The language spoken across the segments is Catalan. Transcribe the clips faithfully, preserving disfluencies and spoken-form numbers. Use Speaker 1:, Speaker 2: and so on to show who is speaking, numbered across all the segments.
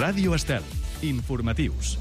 Speaker 1: Ràdio Estel. Informatius.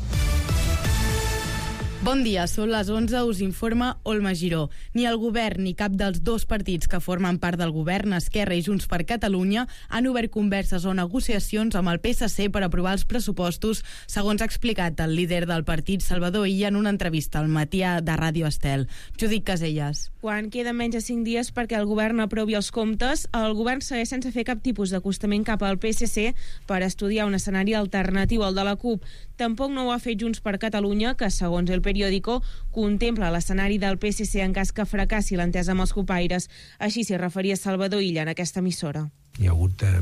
Speaker 2: Bon dia, són les onze, us informa Olma Giró. Ni el govern ni cap dels dos partits que formen part del govern, Esquerra i Junts per Catalunya, han obert converses o negociacions amb el P S C per aprovar els pressupostos, segons ha explicat el líder del partit, Salvador Illa, en una entrevista al matí de Ràdio Estel. Judit Caselles.
Speaker 3: Quan queden menys de cinc dies perquè el govern aprovi els comptes, el govern segueix sense fer cap tipus d'acostament cap al P S C per estudiar un escenari alternatiu al de la CUP. Tampoc no ho ha fet Junts per Catalunya, que, segons el periòdico, contempla l'escenari del P S C en cas que fracassi l'entesa amb els copaires. Així s'hi referia Salvador Illa en aquesta emissora.
Speaker 4: Hi ha hagut eh,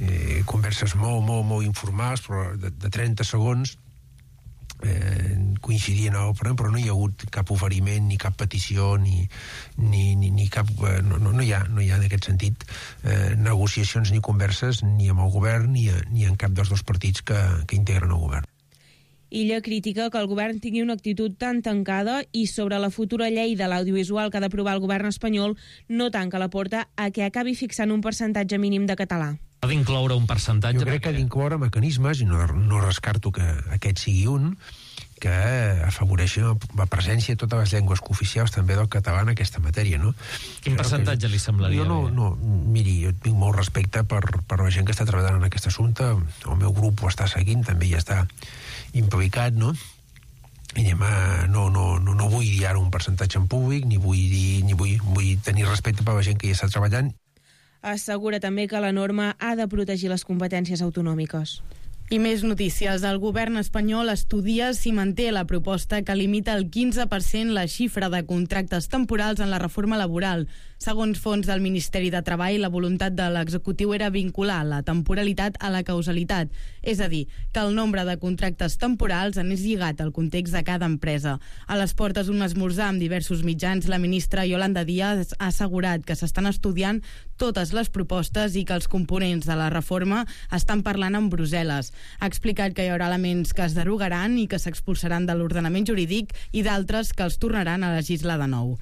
Speaker 4: eh, converses molt, molt, molt informals, però de, de trenta segons, eh, coincidien a l'òpera, però no hi ha hagut cap oferiment, ni cap petició, ni, ni, ni, ni cap... Eh, no, no, no hi ha, no hi ha en aquest sentit eh, negociacions ni converses ni amb el govern ni, a, ni en cap dels dos partits que, que integren el govern.
Speaker 3: Illa critica que el govern tingui una actitud tan tancada i sobre la futura llei de l'audiovisual que ha d'aprovar el govern espanyol no tanca la porta a que acabi fixant un percentatge mínim de català.
Speaker 5: Ha d'incloure un percentatge...
Speaker 4: Jo crec que ha d'incloure mecanismes, i no, no rescarto que aquest sigui un, que afavoreixi la presència de totes les llengües cooficials també del català en aquesta matèria, no?
Speaker 5: Quin percentatge que, li semblaria
Speaker 4: jo no,
Speaker 5: bé?
Speaker 4: No, miri, jo tinc molt respecte per, per la gent que està treballant en aquest assumpte, el meu grup ho està seguint, també hi està implicat, no? I anem a, no, no, no, no vull dir ara un percentatge en públic, ni vull dir, ni vull, vull tenir respecte per la gent que hi està treballant.
Speaker 3: Assegura també que la norma ha de protegir les competències autonòmiques.
Speaker 2: I més notícies. El govern espanyol estudia si manté la proposta que limita el quinze per cent la xifra de contractes temporals en la reforma laboral. Segons fons del Ministeri de Treball, la voluntat de l'executiu era vincular la temporalitat a la causalitat, és a dir, que el nombre de contractes temporals anés lligat al context de cada empresa. A les portes d'un esmorzar amb diversos mitjans, la ministra Yolanda Díaz ha assegurat que s'estan estudiant totes les propostes i que els components de la reforma estan parlant amb Brussel·les. Ha explicat que hi haurà elements que es derogaran i que s'expulsaran de l'ordenament jurídic i d'altres que els tornaran a legislar de nou.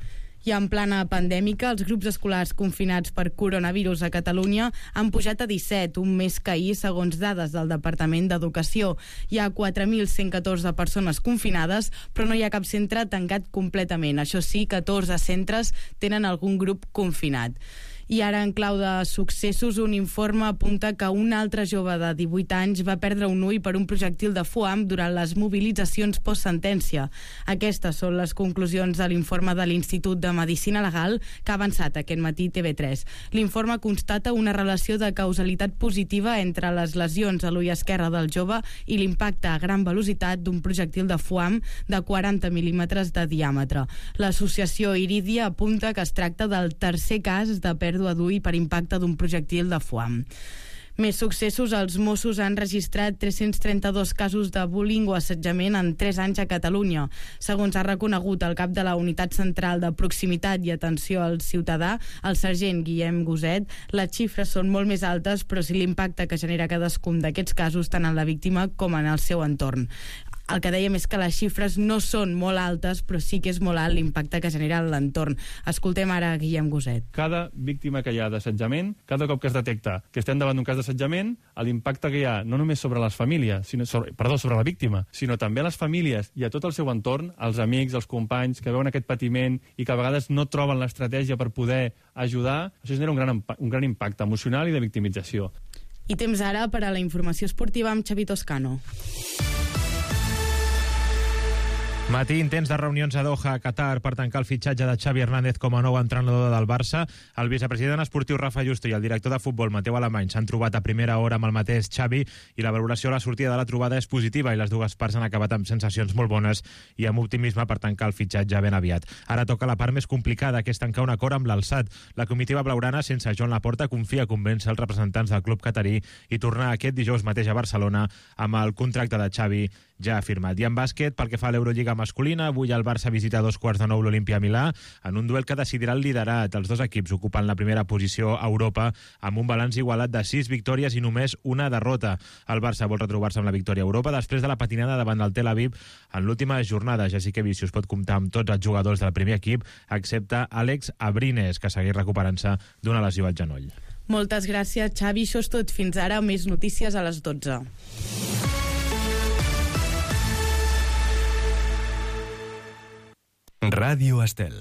Speaker 2: I en plana pandèmica, els grups escolars confinats per coronavirus a Catalunya han pujat a disset, un més que ahir, segons dades del Departament d'Educació. Hi ha quatre mil cent catorze persones confinades, però no hi ha cap centre tancat completament. Això sí, catorze centres tenen algun grup confinat. I ara, en clau de successos, un informe apunta que un altre jove de divuit anys va perdre un ull per un projectil de foam durant les mobilitzacions postsentència. Aquestes són les conclusions de l'informe de l'Institut de Medicina Legal que ha avançat aquest matí T V tres. L'informe constata una relació de causalitat positiva entre les lesions a l'ull esquerre del jove i l'impacte a gran velocitat d'un projectil de foam de quaranta mil·límetres de diàmetre. L'associació Iridia apunta que es tracta del tercer cas de pèrdua d'ull per impacte d'un projectil de foam. Més successos, els Mossos han registrat tres-cents trenta-dos casos de bullying o assetjament en tres anys a Catalunya. Segons ha reconegut el cap de la Unitat Central de Proximitat i Atenció al Ciutadà, el sergent Guillem Goset, les xifres són molt més altes, però sí l'impacte que genera cadascun d'aquests casos tant en la víctima com en el seu entorn. El que dèiem és que les xifres no són molt altes, però sí que és molt alt l'impacte que genera en l'entorn. Escoltem ara Guillem Goset.
Speaker 6: Cada víctima que hi ha d'assetjament, cada cop que es detecta que estem davant d'un cas d'assetjament, l'impacte que hi ha no només sobre les famílies, sinó sobre, perdó, sobre la víctima, sinó també a les famílies i a tot el seu entorn, els amics, els companys, que veuen aquest patiment i que a vegades no troben l'estratègia per poder ajudar, això genera un gran, un gran impacte emocional i de victimització.
Speaker 2: I temps ara per a la informació esportiva amb Xavi Toscano.
Speaker 7: Matí intents de reunions a Doha, a Qatar, per tancar el fitxatge de Xavi Hernández com a nou entrenador del Barça. El vicepresident esportiu Rafa Justo i el director de futbol Mateu Alemany s'han trobat a primera hora amb el mateix Xavi i la valoració a la sortida de la trobada és positiva i les dues parts han acabat amb sensacions molt bones i amb optimisme per tancar el fitxatge ben aviat. Ara toca la part més complicada, que és tancar un acord amb l'Alsat. La comitiva blaugrana, sense Joan Laporta, confia a convèncer els representants del club catarí i tornar aquest dijous mateix a Barcelona amb el contracte de Xavi ja firmat. I en bàsquet, pel que fa a l'Eurolliga masculina, avui el Barça visita a dos quarts de nou l'Olimpia Milà en un duel que decidirà el liderat. Els dos equips ocupen la primera posició a Europa amb un balanç igualat de sis victòries i només una derrota. El Barça vol retrobar-se amb la victòria a Europa després de la patinada davant del Tel Aviv en l'última jornada. Jessica Vicius pot comptar amb tots els jugadors del primer equip, excepte Àlex Abrines, que segueix recuperant-se d'una lesió al genoll.
Speaker 2: Moltes gràcies, Xavi. Això és tot. Fins ara, més notícies a les dotze.
Speaker 1: Ràdio Estel.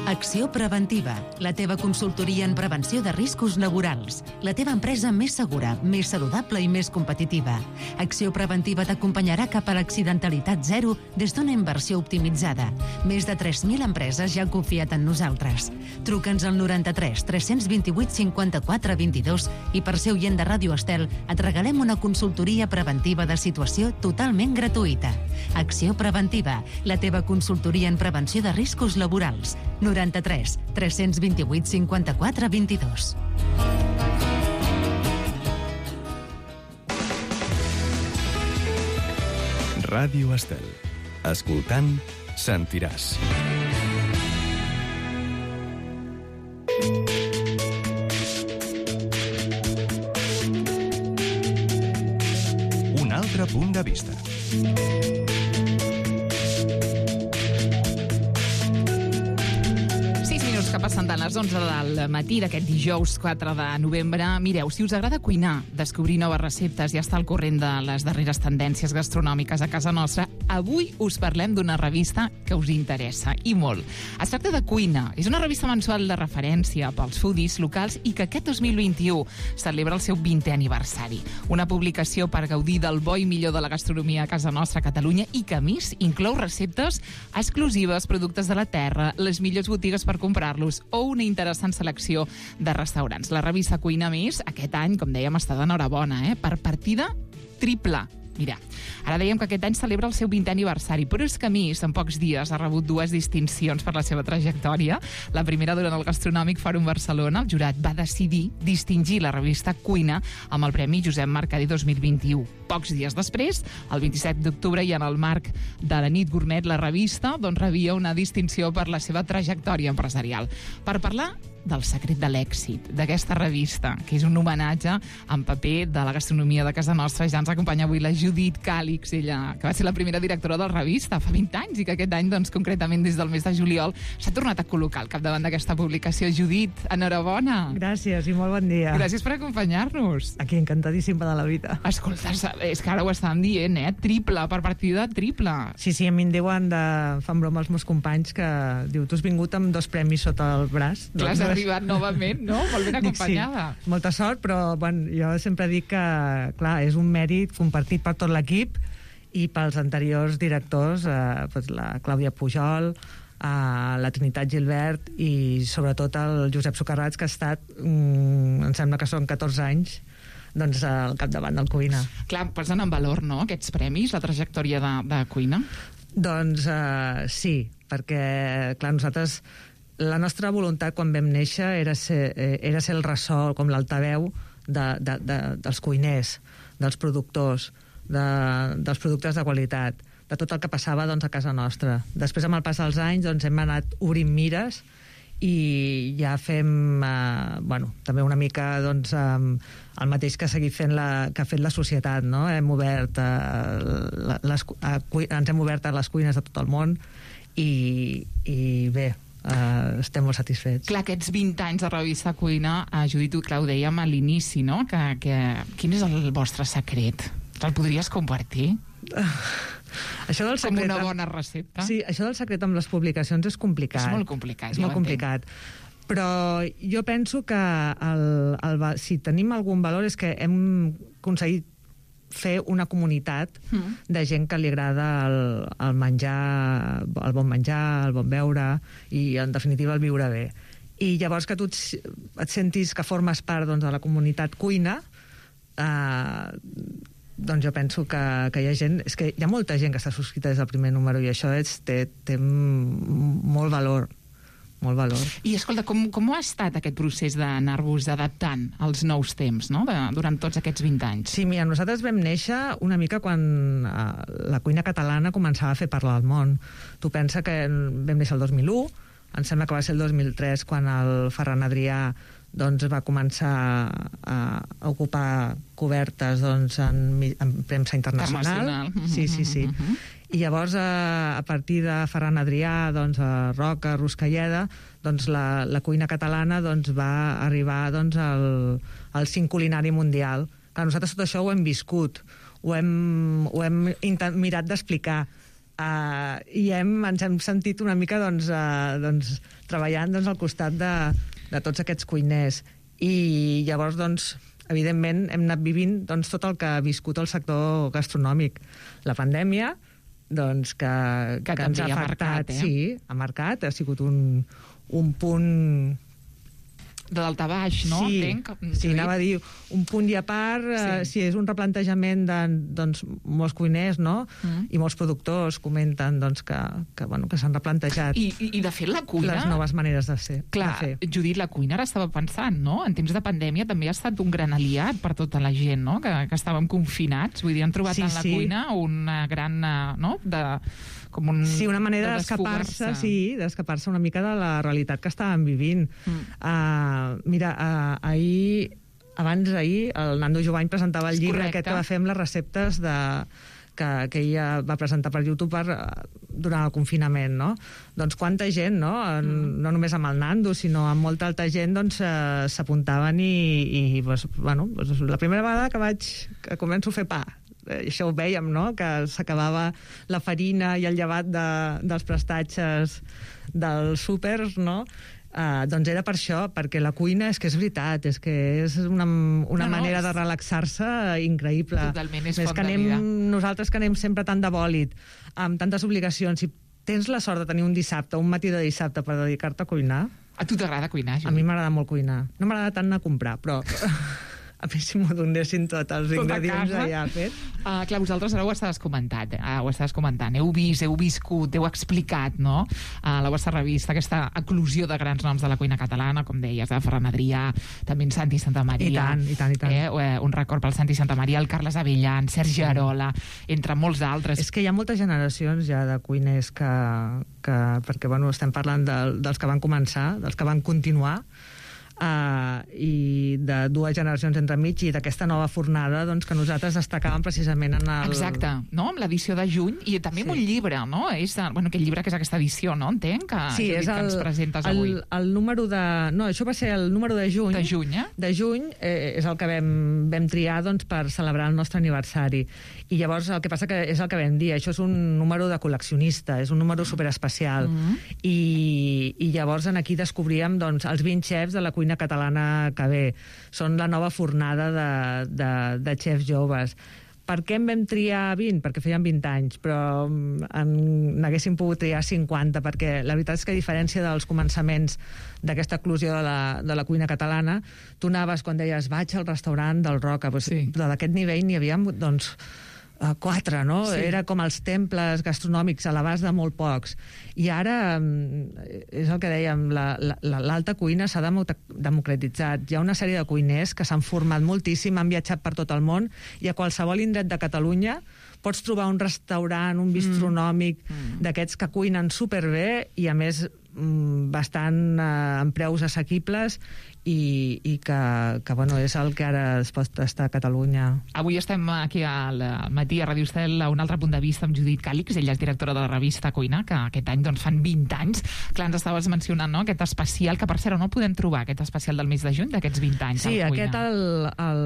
Speaker 8: Acció Preventiva, la teva consultoria en prevenció de riscos laborals. La teva empresa més segura, més saludable i més competitiva. Acció Preventiva t'acompanyarà cap a l'accidentalitat zero des d'una inversió optimitzada. Més de tres mil empreses ja han confiat en nosaltres. Truca'ns al noranta-tres tres dos vuit cinquanta-quatre vint-i-dos i per ser oient de Ràdio Estel et regalem una consultoria preventiva de situació totalment gratuïta. Acció Preventiva, la teva consultoria en prevenció de riscos laborals. noranta-tres tres dos vuit cinquanta-quatre vint-i-dos.
Speaker 1: Ràdio Estel. Escoltant, sentiràs. Un altre punt de vista.
Speaker 9: Que passen de les onze del matí d'aquest dijous quatre de novembre. Mireu, si us agrada cuinar, descobrir noves receptes i estar al corrent de les darreres tendències gastronòmiques a casa nostra, avui us parlem d'una revista que us interessa, i molt. Es tracta de Cuina. És una revista mensual de referència pels foodies locals i que aquest dos mil vint-i-u celebra el seu vintè aniversari. Una publicació per gaudir del bo i millor de la gastronomia a casa nostra, a Catalunya, i que, a més, inclou receptes exclusives, productes de la terra, les millors botigues per comprar-los o una interessant selecció de restaurants. La revista Cuina Més, aquest any, com dèiem, està d'enhorabona, eh? Per partida triple. Mira, ara dèiem que aquest any celebra el seu vintè aniversari, però és que a més, en pocs dies, ha rebut dues distincions per la seva trajectòria. La primera, durant el Gastronòmic Fòrum Barcelona, el jurat va decidir distingir la revista Cuina amb el Premi Josep Mercader dos mil vint-i-u. Pocs dies després, el vint-i-set d'octubre, i en el marc de la Nit Gourmet, la revista doncs, rebia una distinció per la seva trajectòria empresarial. Per parlar del secret de l'èxit d'aquesta revista, que és un homenatge en paper de la gastronomia de casa nostra, ja ens acompanya avui la Judit Càlix, ella que va ser la primera directora de la revista fa vint anys i que aquest any, doncs, concretament des del mes de juliol, s'ha tornat a col·locar al capdavant d'aquesta publicació. Judit, enhorabona.
Speaker 10: Gràcies i molt bon dia.
Speaker 9: Gràcies per acompanyar-nos.
Speaker 10: Aquí, encantadíssima de la vida.
Speaker 9: Escolta, és que ara ho estàvem dient, eh? Triple, per partida triple.
Speaker 10: Sí, sí, a mi em diuen, de... fan broma els meus companys, que diu, tu has vingut amb dos premis sota el braç.
Speaker 9: Clar, has arribat novament, no? Molt ben acompanyada.
Speaker 10: Dic, sí, molta sort, però bueno, jo sempre dic que, clar, és un mèrit compartit per tot l'equip i pels anteriors directors, eh, pues la Clàudia Pujol, eh, la Trinitat Gilbert i sobretot el Josep Socarrats, que ha estat, mm, em sembla que són catorze anys, doncs al capdavant del Cuina.
Speaker 9: Clar, posen en valor, no?, aquests premis, la trajectòria de, de Cuina?
Speaker 10: Doncs eh, sí, perquè, clar, nosaltres... La nostra voluntat quan vam néixer era ser, era ser el ressò, com l'altaveu de, de, de, dels cuiners, dels productors, de, dels productes de qualitat, de tot el que passava, doncs, a casa nostra. Després, amb el pas dels anys, doncs, hem anat obrint mires i ja fem, eh, bueno, també una mica, doncs, eh, el mateix que ha seguit fent la, que ha fet la societat, no? Hem obert, eh, les, a, ens hem obert a les cuines de tot el món i, i bé, Uh, estem molt satisfets.
Speaker 9: Clar, aquests vint anys de revista Cuina, uh, Judit, clar, ho dèiem a l'inici, no? Que, que, quin és el vostre secret? El podries compartir? Uh,
Speaker 10: això del secret...
Speaker 9: Com una bona recepta?
Speaker 10: Sí, això del secret amb les publicacions és complicat.
Speaker 9: És molt complicat,
Speaker 10: és
Speaker 9: ja
Speaker 10: molt complicat. Però jo penso que el, el, si tenim algun valor és que hem aconseguit fer una comunitat mm. de gent que li agrada el, el menjar, el bon menjar, el bon beure i, en definitiva, el viure bé. I llavors que tu et, et sentis que formes part, doncs, de la comunitat Cuina, eh, doncs jo penso que, que hi ha gent... És que hi ha molta gent que està subscrita des del primer número i això és, té, té molt valor. Molt valor.
Speaker 9: I, escolta, com, com ha estat aquest procés d'anar-vos adaptant als nous temps, no?, de, durant tots aquests vint anys?
Speaker 10: Sí, mira, nosaltres vam néixer una mica quan eh, la cuina catalana començava a fer parlar al món. Tu pensa que vam néixer el dos mil u, em sembla que va ser el dos mil tres quan el Ferran Adrià doncs, va començar a, a ocupar cobertes, doncs, en, en premsa internacional. Sí, sí, sí. Uh-huh. I llavors, a, a partir de Ferran Adrià, doncs, a Roca, Ruscalleda, doncs, la, la cuina catalana doncs, va arribar doncs, al, al cinc culinari mundial, Clar, nosaltres tot això ho hem viscut, ho hem, ho hem mirat d'explicar, uh, i hem, ens hem sentit una mica doncs, uh, doncs, treballant doncs, al costat de, de tots aquests cuiners. I llavors, doncs, evidentment, hem anat vivint doncs, tot el que ha viscut el sector gastronòmic. La pandèmia, doncs, que,
Speaker 9: que,
Speaker 10: que ens ha afectat,
Speaker 9: marcat, eh?
Speaker 10: sí, ha marcat, ha sigut un, un punt
Speaker 9: de daltabaix, no?
Speaker 10: Sí,
Speaker 9: Entenc.
Speaker 10: sí, anava a dir un punt i a part, sí, eh, sí és un replantejament de doncs, molts cuiners, no? Mm. I molts productors comenten doncs, que, que, bueno, que s'han replantejat
Speaker 9: I, i, I, de fet, la cuina...
Speaker 10: les noves maneres de ser.
Speaker 9: Clar,
Speaker 10: de fer.
Speaker 9: Judit, la cuina ara estava pensant, no? En temps de pandèmia també ha estat un gran aliat per tota la gent, no? Que, que estàvem confinats. Vull dir, han trobat
Speaker 10: sí,
Speaker 9: en la sí. cuina una gran... no? De, com un,
Speaker 10: sí, una manera
Speaker 9: de
Speaker 10: d'escapar-se, sí, d'escapar-se una mica de la realitat que estàvem vivint. Mm. Uh, mira, uh, ahir, abans d'ahir, el Nando Jovany presentava el
Speaker 9: És
Speaker 10: llibre
Speaker 9: correcte.
Speaker 10: aquest que va fer amb les receptes de, que, que ella va presentar per YouTube per, durant el confinament, no? Doncs quanta gent, no? Mm. No només amb el Nando, sinó amb molta altra gent, doncs s'apuntaven i, i pues, bueno, pues, la primera vegada que vaig, que començo a fer pa, això ho vèiem, no?, que s'acabava la farina i el llevat de, dels prestatges dels súpers, no?, uh, doncs era per això, perquè la cuina és que és veritat, és que és una, una
Speaker 9: no,
Speaker 10: manera
Speaker 9: no,
Speaker 10: de relaxar-se increïble.
Speaker 9: Totalment, és
Speaker 10: Més
Speaker 9: font
Speaker 10: que
Speaker 9: de
Speaker 10: anem,
Speaker 9: vida.
Speaker 10: nosaltres que anem sempre tant de bòlit, amb tantes obligacions, si tens la sort de tenir un dissabte, un matí de dissabte per dedicar-te a cuinar...
Speaker 9: A tu t'agrada cuinar, Judit?
Speaker 10: A mi m'agrada molt cuinar. No m'agrada tant anar a comprar, però... a mi si m'ho donessin tots els
Speaker 9: Tot
Speaker 10: ingredients allà fet.
Speaker 9: Uh, clar, vosaltres ara ho estaves comentant, eh? uh, ho estaves comentant, heu vist, heu viscut, heu explicat, no?, a uh, la vostra revista, aquesta eclosió de grans noms de la cuina catalana, com deies, de Ferran Adrià, també en Santi Santamaria.
Speaker 10: I tant, i tant, i tant.
Speaker 9: Eh? Un record pel Santi Santamaria, el Carles Avellan, Sergi Arola, entre molts d'altres.
Speaker 10: És que hi ha moltes generacions ja de cuiners que... que perquè, bueno, estem parlant de, dels que van començar, dels que van continuar, Uh, i de dues generacions entremig i d'aquesta nova fornada doncs, que nosaltres destacàvem precisament en el...
Speaker 9: Exacte, no? Amb l'edició de juny i també amb sí. un llibre, no? És, bueno, aquest llibre que és aquesta edició, no? Entenc que,
Speaker 10: sí, és
Speaker 9: el, que ens presentes
Speaker 10: el,
Speaker 9: avui.
Speaker 10: El número de... No, això va ser el número de juny.
Speaker 9: De juny, eh?
Speaker 10: De juny eh, és el que vam, vam triar doncs, per celebrar el nostre aniversari. I llavors el que passa que és el que vam dir, això és un número de col·leccionista, és un número superespecial. Mm-hmm. I, I llavors en aquí descobríem doncs, els vint xefs de la cuina catalana que ve. Són la nova fornada de, de, de xefs joves. Per què en vam triar vint? Perquè feien vint anys, però n'haguéssim pogut triar cinquanta, perquè la veritat és que a diferència dels començaments d'aquesta eclosió de la, de la cuina catalana, tu anaves quan deies vaig al restaurant del Roca, doncs, sí. d'aquest nivell n'hi havia doncs, Uh, quatre, no? Sí. Era com els temples gastronòmics a l'abast de molt pocs. I ara, um, és el que dèiem, l'alta la, la, cuina s'ha democratitzat. Hi ha una sèrie de cuiners que s'han format moltíssim, han viatjat per tot el món, i a qualsevol indret de Catalunya pots trobar un restaurant, un bistronòmic, mm. d'aquests que cuinen superbé i, a més, bastant eh, amb preus assequibles i, i que, que bueno, és el que ara es pot estar a Catalunya.
Speaker 9: Avui estem aquí al matí a Ràdio Estel a un altre punt de vista amb Judit Càlix, ella és directora de la revista Cuina, que aquest any doncs, fan vint anys. Clar, ens estaves mencionant, no?, aquest especial, que per cert on el podem trobar, aquest especial del mes de juny d'aquests vint anys.
Speaker 10: Sí, aquest el, el,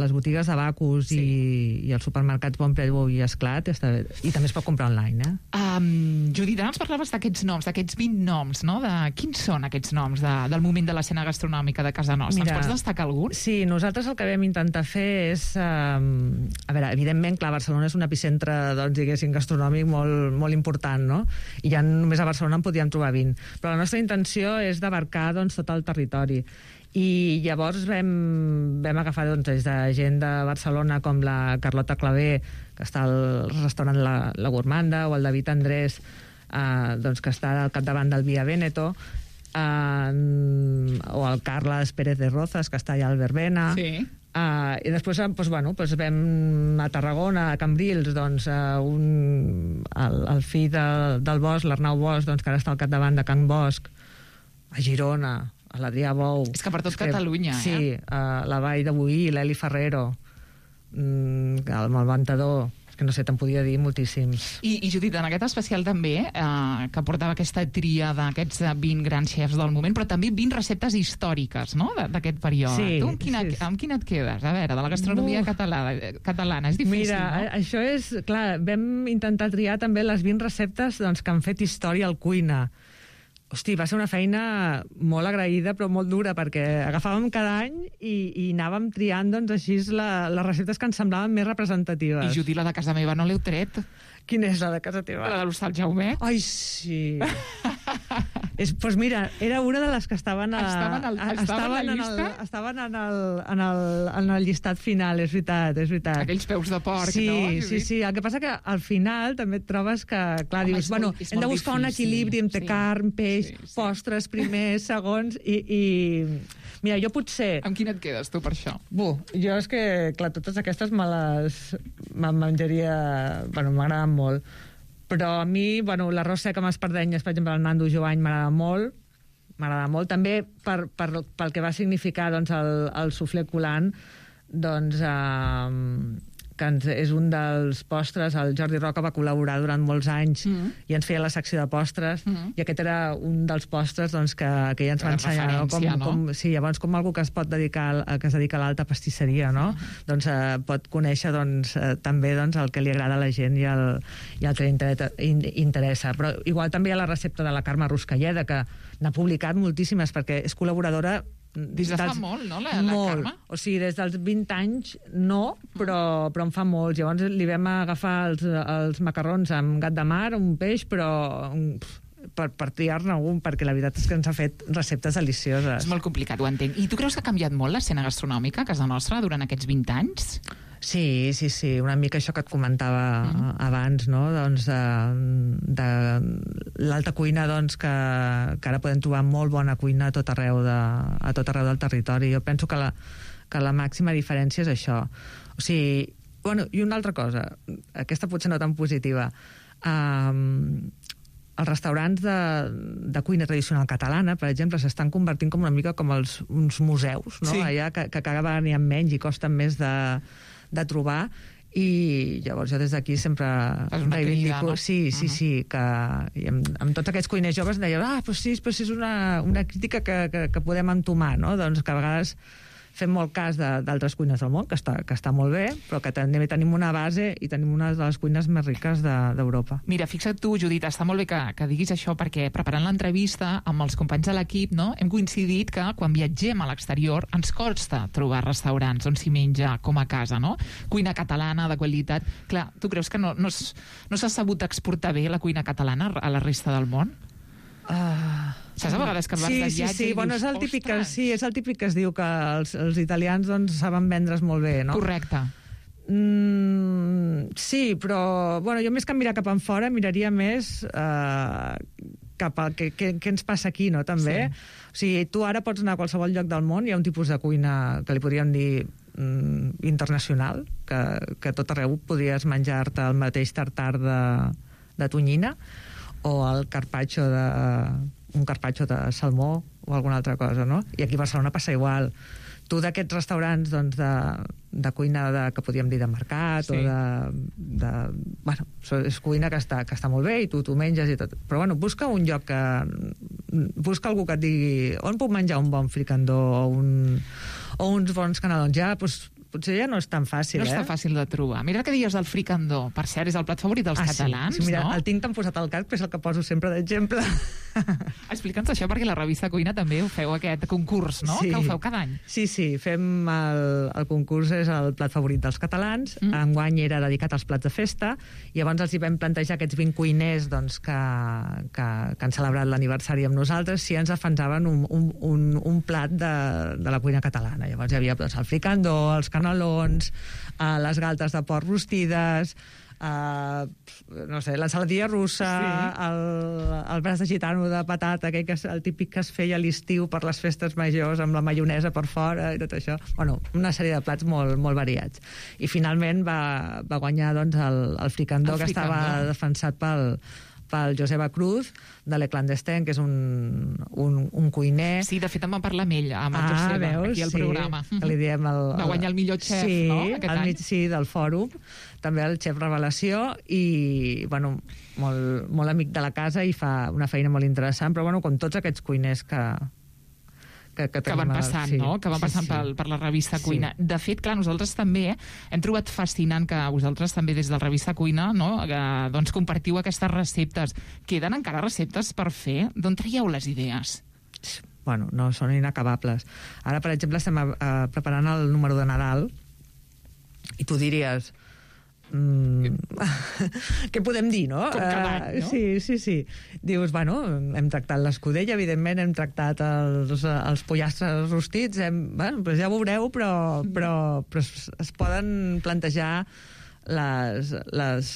Speaker 10: les botigues de Bacus sí. i, i els supermercats Bonpreu i Esclat, està, i també es pot comprar online, eh?
Speaker 9: Um, Judit, ara ens parlaves d'aquests noms, d'aquests vint noms, no? De, quins són aquests noms de, del moment de l'escena gastronòmica de casa nostra? Mira, ens pots destacar algun?
Speaker 10: Sí, nosaltres el que vam intentar fer és... Um, a veure, evidentment, clar, Barcelona és un epicentre, doncs, diguéssim, gastronòmic molt, molt important, no? I ja només a Barcelona en podíem trobar vint. Però la nostra intenció és d'abarcar, doncs, tot el territori. I llavors vam, vam agafar doncs, des de gent de Barcelona com la Carlota Clavé, que està al restaurant La, la Gourmanda, o el David Andrés, Uh, doncs que està al capdavant del Via Veneto, uh, o el Carles Pérez de Rozas, que està allà al Verbena.
Speaker 9: Sí.
Speaker 10: Uh, I després doncs, bueno, doncs vam a Tarragona, a Cambrils, doncs, uh, un, el, el fill de, del Bosch, l'Arnau Bosch, doncs, que ara està al capdavant de Can Bosch, a Girona, a l'Adrià Bou.
Speaker 9: És que per tot Catalunya,
Speaker 10: sí,
Speaker 9: eh?
Speaker 10: Sí, uh, la Vall de Boí, l'Eli Ferrero, mm, el Malventador. que no sé, te'n podia dir moltíssims.
Speaker 9: I, i Judit, en aquest especial també, eh, que portava aquesta tria d'aquests vint grans xefs del moment, però també vint receptes històriques, no?, d'aquest període.
Speaker 10: Sí,
Speaker 9: tu amb quina,
Speaker 10: sí, sí.
Speaker 9: amb quina et quedes? A veure, de la gastronomia catalana, catalana. És difícil,
Speaker 10: Mira,
Speaker 9: no?
Speaker 10: Mira, això és... Clar, vam intentar triar també les vint receptes doncs, que han fet història al cuina. Hosti, va ser una feina molt agraïda, però molt dura, perquè agafàvem cada any i, i anàvem triant, doncs, així la, les receptes que ens semblaven més representatives.
Speaker 9: I Judit, la de casa meva no l'heu tret?
Speaker 10: Quina és la de casa teva?
Speaker 9: La de l'Hostal Jaumet.
Speaker 10: Ai, sí. Doncs pues mira, era una de les que estaven a,
Speaker 9: estaven, al, estaven, estaven,
Speaker 10: en el, estaven en, el, en, el, en el llistat final, és veritat, és veritat.
Speaker 9: Aquells peus de porc,
Speaker 10: sí,
Speaker 9: no?
Speaker 10: Sí, sí, el que passa que al final també et trobes que, clar, Home, dius, bueno, hem de buscar difícil. un equilibri entre sí, carn, peix, sí, sí. postres, primers, segons, i, i... Mira, jo potser...
Speaker 9: Amb quina et quedes, tu, per això?
Speaker 10: Bu, jo és que, clar, totes aquestes me les me menjaria... Bueno, m'agraden molt. Però a mi, bueno, l'arròs sec amb espardenyes, per exemple, el Nando Joany m'agrada molt, m'agrada molt. També per, per, pel que va significar doncs, el, el suflé coulant, doncs, eh, que ens, és un dels postres, el Jordi Roca va col·laborar durant molts anys mm -hmm. i ens feia la secció de postres, mm -hmm. i aquest era un dels postres doncs, que, que ella ens va ensenyar, no? Com, no? Com, sí, llavors com algú que es pot dedicar a, que es dedica a l'alta pastisseria, no? Mm -hmm. Doncs eh, pot conèixer doncs, eh, també doncs, el que li agrada a la gent i el, i el que li interessa. Però igual també hi ha la recepta de la Carme Ruscalleda, que n'ha publicat moltíssimes, perquè és col·laboradora
Speaker 9: des de fa molt, no, la, la
Speaker 10: molt.
Speaker 9: Carme?
Speaker 10: O sigui, des dels vint anys no, però, però en fa molts. Llavors li vam agafar els, els macarrons amb gat de mar, un peix, però per, per triar-ne algun, perquè la veritat és que ens ha fet receptes delicioses.
Speaker 9: És molt complicat, ho entenc. I tu creus que ha canviat molt l'escena gastronòmica a casa nostra durant aquests vint anys?
Speaker 10: Sí, sí, sí, una mica això que et comentava mm. abans, no? Doncs de, de l'alta cuina, doncs, que, que ara podem trobar molt bona cuina a tot arreu, de, a tot arreu del territori. Jo penso que la, que la màxima diferència és això. O sigui, bueno, i una altra cosa, aquesta potser no tan positiva, um, els restaurants de, de cuina tradicional catalana, per exemple, s'estan convertint com una mica com els, uns museus, no? Sí. Allà que, que cada vegada n'hi ha menys i costen més de de trobar, i llavors jo des d'aquí sempre reivindico, no? sí, sí, uh -huh. sí, que i amb, amb tots aquests cuiners joves deien, ah, però sí, però sí és una, una crítica que, que, que podem entomar, no? Doncs que a vegades fem molt cas d'altres cuines del món, que està, que està molt bé, però que també tenim una base i tenim una de les cuines més riques d'Europa. De,
Speaker 9: Mira, fixa't tu, Judit, està molt bé que, que diguis això, perquè preparant l'entrevista amb els companys de l'equip, no, hem coincidit que quan viatgem a l'exterior ens costa trobar restaurants on s'hi menja com a casa, no? Cuina catalana de qualitat. Clar, tu creus que no, no s'ha sabut exportar bé la cuina catalana a la resta del món?
Speaker 10: Uh,
Speaker 9: Saps a vegades que vas
Speaker 10: sí,
Speaker 9: de viatge
Speaker 10: sí, sí.
Speaker 9: i
Speaker 10: Bueno,
Speaker 9: dius,
Speaker 10: és el típic que,
Speaker 9: ostres...
Speaker 10: sí, és el típic que es diu que els, els italians doncs, saben vendre's molt bé, no?
Speaker 9: Correcte.
Speaker 10: Mm, sí, però bueno, jo més que mirar cap enfora miraria més eh, cap a què, què, què ens passa aquí, no? També. Sí. O sigui, tu ara pots anar a qualsevol lloc del món, hi ha un tipus de cuina que li podríem dir mm, internacional, que, que tot arreu podries menjar-te el mateix tartar de, de tonyina, o el carpaccio de, un carpaccio de salmó o alguna altra cosa, no? I aquí a Barcelona passa igual. Tu d'aquests restaurants doncs, de, de cuina de, que podríem dir de mercat, sí. o de, de... Bueno, és cuina que està, que està molt bé i tu t'ho menges i tot. Però bueno, busca un lloc que... Busca algú que et digui on puc menjar un bon fricandó o, un, o uns bons canelons. Ja, doncs, potser ja no és tan fàcil,
Speaker 9: no
Speaker 10: eh?
Speaker 9: No és tan fàcil de trobar. Mira que deies del fricandó. Per cert, és el plat favorit dels
Speaker 10: ah,
Speaker 9: catalans,
Speaker 10: sí. Sí, mira,
Speaker 9: no?
Speaker 10: El tinc tan posat al cap, que és el que poso sempre d'exemple.
Speaker 9: Explica'ns això, perquè la revista Cuina també ho feu, aquest concurs, no?
Speaker 10: Sí.
Speaker 9: Que ho feu cada any.
Speaker 10: Sí, sí, fem el, el concurs, és el plat favorit dels catalans. Mm. Enguany era dedicat als plats de festa, i llavors els hi vam plantejar aquests vint cuiners doncs, que, que, que han celebrat l'aniversari amb nosaltres, si ens defensaven un, un, un, un plat de, de la cuina catalana. Llavors hi havia doncs, el fricandó, els canelons, Uh, les galtes de porc rostides, uh, no sé, l'ensaladilla russa, sí. el, el braç de gitano de patata, aquell que és el típic que es feia a l'estiu per les festes majors, amb la maionesa per fora i tot això. Bueno, una sèrie de plats molt, molt variats. I finalment va, va guanyar doncs, el, el fricandó, el que fricandó. Estava defensat pel, pel Joseba Cruz, de Le Clandestin, que és un, un, un cuiner.
Speaker 9: Sí, de fet em va parlar amb ell, amb el
Speaker 10: ah,
Speaker 9: Joseba,
Speaker 10: veus?
Speaker 9: aquí al
Speaker 10: sí,
Speaker 9: programa.
Speaker 10: Que li diem el, el,
Speaker 9: va guanyar el millor xef,
Speaker 10: sí,
Speaker 9: no?, aquest any.
Speaker 10: Mig, sí, del fòrum, també el xef Revelació, i, bueno, molt, molt amic de la casa i fa una feina molt interessant, però, bueno, com tots aquests cuiners que... Que, que,
Speaker 9: que van passant,
Speaker 10: sí,
Speaker 9: no? Que van passant
Speaker 10: sí, sí.
Speaker 9: per, per la revista
Speaker 10: Sí.
Speaker 9: Cuina. De fet, clar, nosaltres també hem trobat fascinant que vosaltres també des de la revista Cuina, no?, que, doncs compartiu aquestes receptes. Queden encara receptes per fer? D'on traieu les idees?
Speaker 10: Bueno, no, són inacabables. Ara, per exemple, estem a, a, preparant el número de Nadal i tu diries... Mm, què podem dir, no?
Speaker 9: Com cada any, no?
Speaker 10: Uh, sí, sí, sí. Dius, bueno, hem tractat l'escudella, evidentment, hem tractat els, els pollastres rostits, hem, bueno, doncs ja ho veureu, però, però, però es, es poden plantejar les, les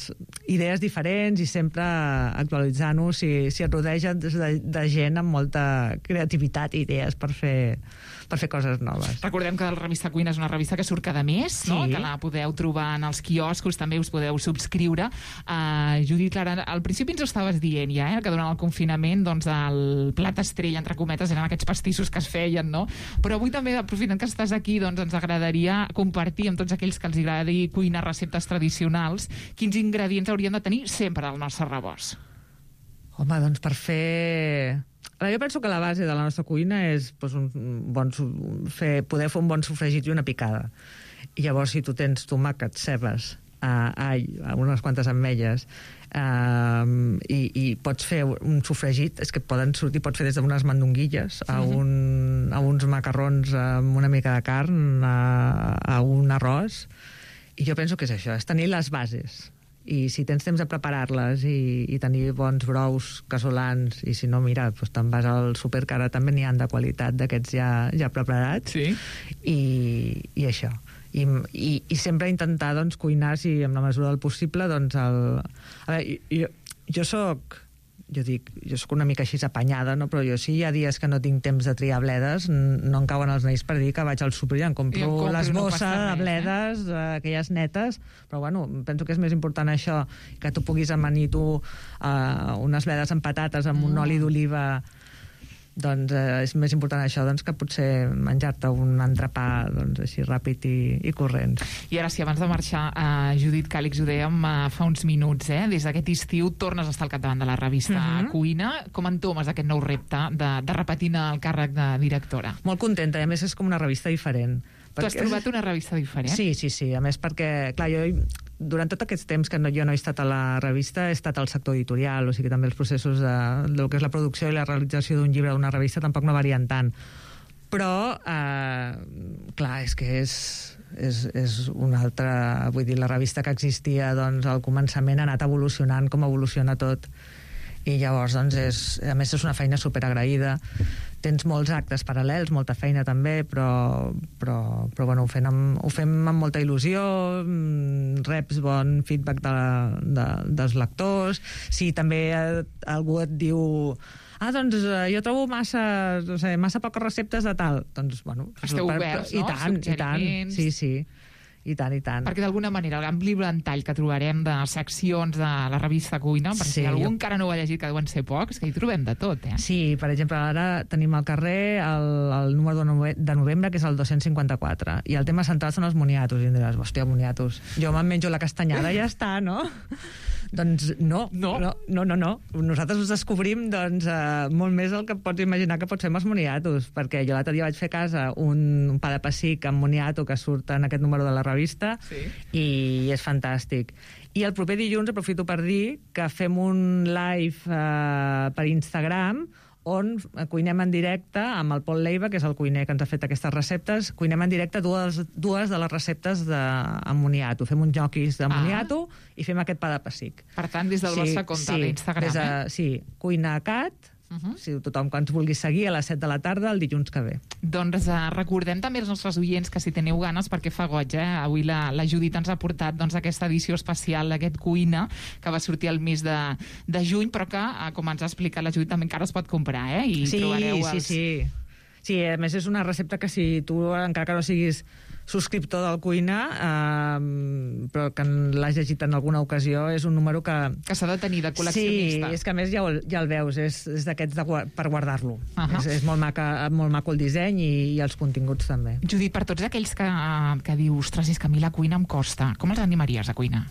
Speaker 10: idees diferents i sempre actualitzant-ho si, si et rodeja de, de gent amb molta creativitat i idees per fer, per fer coses noves.
Speaker 9: Recordem que la revista Cuina és una revista que surt cada mes, no?
Speaker 10: Sí.
Speaker 9: Que la podeu trobar en els quioscos, també us podeu subscriure. Uh, Judit, Clara, al principi ens ho estaves dient ja, eh? Que durant el confinament doncs, el plat estrella, entre cometes, eren aquests pastissos que es feien, no? Però avui també, aprofitant que estàs aquí, doncs ens agradaria compartir amb tots aquells que els agradi cuinar receptes tradicionals quins ingredients haurien de tenir sempre al nostre rebost.
Speaker 10: Home, doncs per fer... Jo penso que la base de la nostra cuina és doncs, un bon, fer, poder fer un bon sofregit i una picada. I llavors, si tu tens tomàquet, cebes, uh, all, unes quantes ametlles, uh, i, i pots fer un sofregit, és que poden sortir, pots fer des d'unes mandonguilles a, un, a uns macarrons amb una mica de carn, a, a un arròs. I jo penso que és això, és tenir les bases. I si tens temps de preparar-les i, i tenir bons brous casolans, i si no, mira, doncs te'n vas al súper, que ara també n'hi ha de qualitat d'aquests ja, ja preparats,
Speaker 9: sí.
Speaker 10: i, i això. I, i, i sempre intentar doncs, cuinar, si amb la mesura del possible, doncs el... A veure, jo, jo soc... Jo dic, jo sóc una mica així apanyada, no? Però jo sí, hi ha dies que no tinc temps de triar bledes, no em cauen els naïs per dir que vaig al súper i em compro,
Speaker 9: I em compro
Speaker 10: les
Speaker 9: no
Speaker 10: bosses
Speaker 9: passa res,
Speaker 10: de bledes, eh? aquelles netes, però bueno, penso que és més important això, que tu puguis amanir tu eh, unes bledes amb patates amb un
Speaker 9: Mm.
Speaker 10: oli d'oliva, doncs eh, és més important això doncs, que potser menjar-te un entrepà doncs, així ràpid i, i corrent.
Speaker 9: I ara sí, abans de marxar, uh, Judit Càlix, ho dèiem uh, fa uns minuts, eh? Des d'aquest estiu tornes a estar al capdavant de la revista
Speaker 10: Mhm.
Speaker 9: Cuina. Com entomes aquest nou repte de, de repetir el càrrec de directora?
Speaker 10: Molt contenta, i a més és com una revista diferent.
Speaker 9: Tu has trobat una revista diferent?
Speaker 10: Sí, sí, sí. A més perquè, clar, jo durant tot aquest temps que no, jo no he estat a la revista, he estat al sector editorial, o sigui que també els processos de, del que és la producció i la realització d'un llibre d'una revista tampoc no varien tant. Però, eh, clar, és que és, és, és una altra... Vull dir, la revista que existia doncs, al començament ha anat evolucionant com evoluciona tot. I llavors, doncs, és, a més, és una feina superagraïda. Tens molts actes paral·lels, molta feina també, però, però, però bueno, ho, fem amb, ho fem amb molta il·lusió, reps bon feedback de, de, dels lectors. Si també algú et diu ah, doncs eh, jo trobo massa, no sé, massa poques receptes de tal, doncs, bueno...
Speaker 9: Esteu
Speaker 10: per,
Speaker 9: oberts,
Speaker 10: i
Speaker 9: no?
Speaker 10: tant, i tant, sí, sí. I tant, i tant.
Speaker 9: Perquè d'alguna manera l'ampli ventall que trobarem de seccions de la revista Cuina, perquè
Speaker 10: Sí,
Speaker 9: si algú
Speaker 10: jo-
Speaker 9: encara no ho ha llegit, que deuen ser pocs, que hi trobem de tot, eh?
Speaker 10: Sí, per exemple, ara tenim al carrer el, el número de, nove de novembre, que és el dos cents cinquanta-quatre, i el tema central són els moniatos, i em diràs, hòstia, moniatos, jo me'n menjo la castanyada i ja està, no? Doncs no,
Speaker 9: no,
Speaker 10: no, no, no, no. Nosaltres us descobrim doncs, eh, molt més el que pots imaginar que pot ser amb els moniatos, perquè jo l'altre dia vaig fer a casa un, un pa de pessic amb moniato que surt en aquest número de la revista,
Speaker 9: Sí.
Speaker 10: i és fantàstic. I el proper dilluns aprofito per dir que fem un live eh, per Instagram on cuinem en directe amb el Pol Leiva, que és el cuiner que ens ha fet aquestes receptes, cuinem en directe dues, dues de les receptes de, amb moniato. Fem uns ñoquis de moniato ah. i fem aquest pa de pessic.
Speaker 9: Per tant, des del sí, vostre compte
Speaker 10: sí,
Speaker 9: d'Instagram,
Speaker 10: de,
Speaker 9: eh?
Speaker 10: Sí, Cuina Cat, Uh -huh. si tothom que ens vulgui seguir a les set de la tarda el dilluns que ve.
Speaker 9: Doncs uh, recordem també als nostres oients que si teniu ganes, perquè fa goig, eh? Avui la, la Judit ens ha portat doncs, aquesta edició especial d'aquest Cuina, que va sortir el mes de, de juny, però que, uh, com ens ha explicat la Judit, també encara es pot comprar, eh? I
Speaker 10: sí,
Speaker 9: trobareu
Speaker 10: sí,
Speaker 9: els...
Speaker 10: sí. Sí, a més és una recepta que si tu, encara que no siguis subscriptor del Cuina, eh, però que l'has llegit en alguna ocasió, és un número que...
Speaker 9: Que s'ha de tenir de col·leccionista.
Speaker 10: Sí, és que a més ja, ja el veus, és, és d'aquests de, per guardar-lo. Uh
Speaker 9: -huh.
Speaker 10: És, és molt, maca, molt maco el disseny i, i els continguts també.
Speaker 9: Judit, per tots aquells que, que diu, ostres, és que a mi la cuina em costa, com els animaries a cuinar?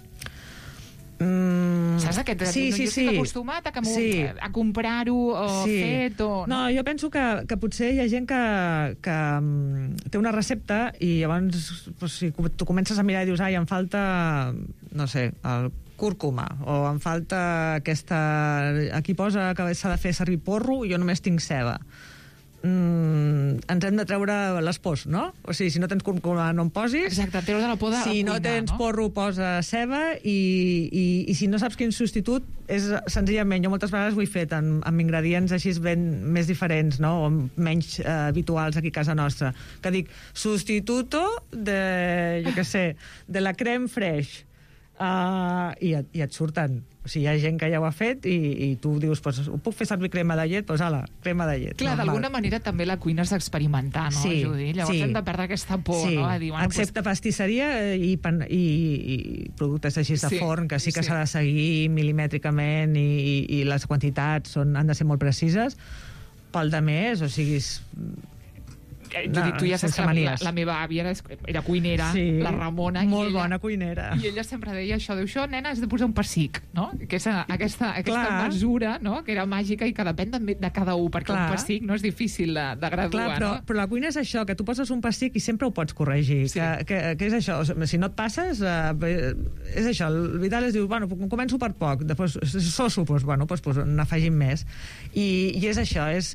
Speaker 10: Mm,
Speaker 9: Saps aquest?
Speaker 10: sí,
Speaker 9: no,
Speaker 10: sí,
Speaker 9: jo estic
Speaker 10: sí.
Speaker 9: acostumat a, que
Speaker 10: sí.
Speaker 9: a comprar-ho o
Speaker 10: sí.
Speaker 9: fet o...
Speaker 10: No, jo penso que, que potser hi ha gent que, que um, té una recepta i llavors pues, si tu comences a mirar i dius, ai, em falta, no sé, el cúrcuma, o em falta aquesta... Aquí posa que s'ha de fer servir porro i jo només tinc ceba. Mm, ens hem de treure les pors, no? O sigui, si no tens cúrcuma no en posis.
Speaker 9: Exacte, treure de la por de
Speaker 10: si
Speaker 9: la
Speaker 10: no
Speaker 9: cuina,
Speaker 10: tens
Speaker 9: no?
Speaker 10: porro, posa ceba i, i, i si no saps quin substitut és senzillament, jo moltes vegades ho he fet amb, amb ingredients així ben més diferents, no? O menys eh, habituals aquí a casa nostra, que dic, substituto de, jo què sé, de la crème fraiche, uh, i, et, i et surten. O sigui, hi ha gent que ja ho ha fet i, i tu dius, pues, ho puc fer servir crema de llet? Doncs pues, ala, crema de llet.
Speaker 9: Clar, d'alguna manera també la cuina és experimentar, no,
Speaker 10: sí,
Speaker 9: Judit? Llavors
Speaker 10: sí.
Speaker 9: hem de perdre aquesta por,
Speaker 10: sí.
Speaker 9: no? A dir, bueno,
Speaker 10: excepte pues... pastisseria i, pan, i, i productes així de
Speaker 9: sí,
Speaker 10: forn, que sí que
Speaker 9: sí.
Speaker 10: s'ha de seguir milimètricament i, i, i les quantitats són, han de ser molt precises. Pel de més, o sigui...
Speaker 9: Judit, tu ja saps que la, la meva àvia era, era cuinera, sí, la Ramona,
Speaker 10: molt
Speaker 9: i ella,
Speaker 10: bona cuinera.
Speaker 9: I ella sempre deia això, diu, això, nena, has de posar un pessic, no? Que és aquesta, aquesta mesura, no?, que era màgica i que depèn de, de cada un, perquè clar. Un pessic no és difícil de, de graduar,
Speaker 10: clar, però,
Speaker 9: no?
Speaker 10: Però la cuina és això, que tu poses un pessic i sempre ho pots corregir, sí. que, que, que és això, si no et passes, eh, és això, el Vidal es diu, bueno, començo per poc, després soso, doncs, bueno, doncs, doncs n'afegim més. I, i és això, és...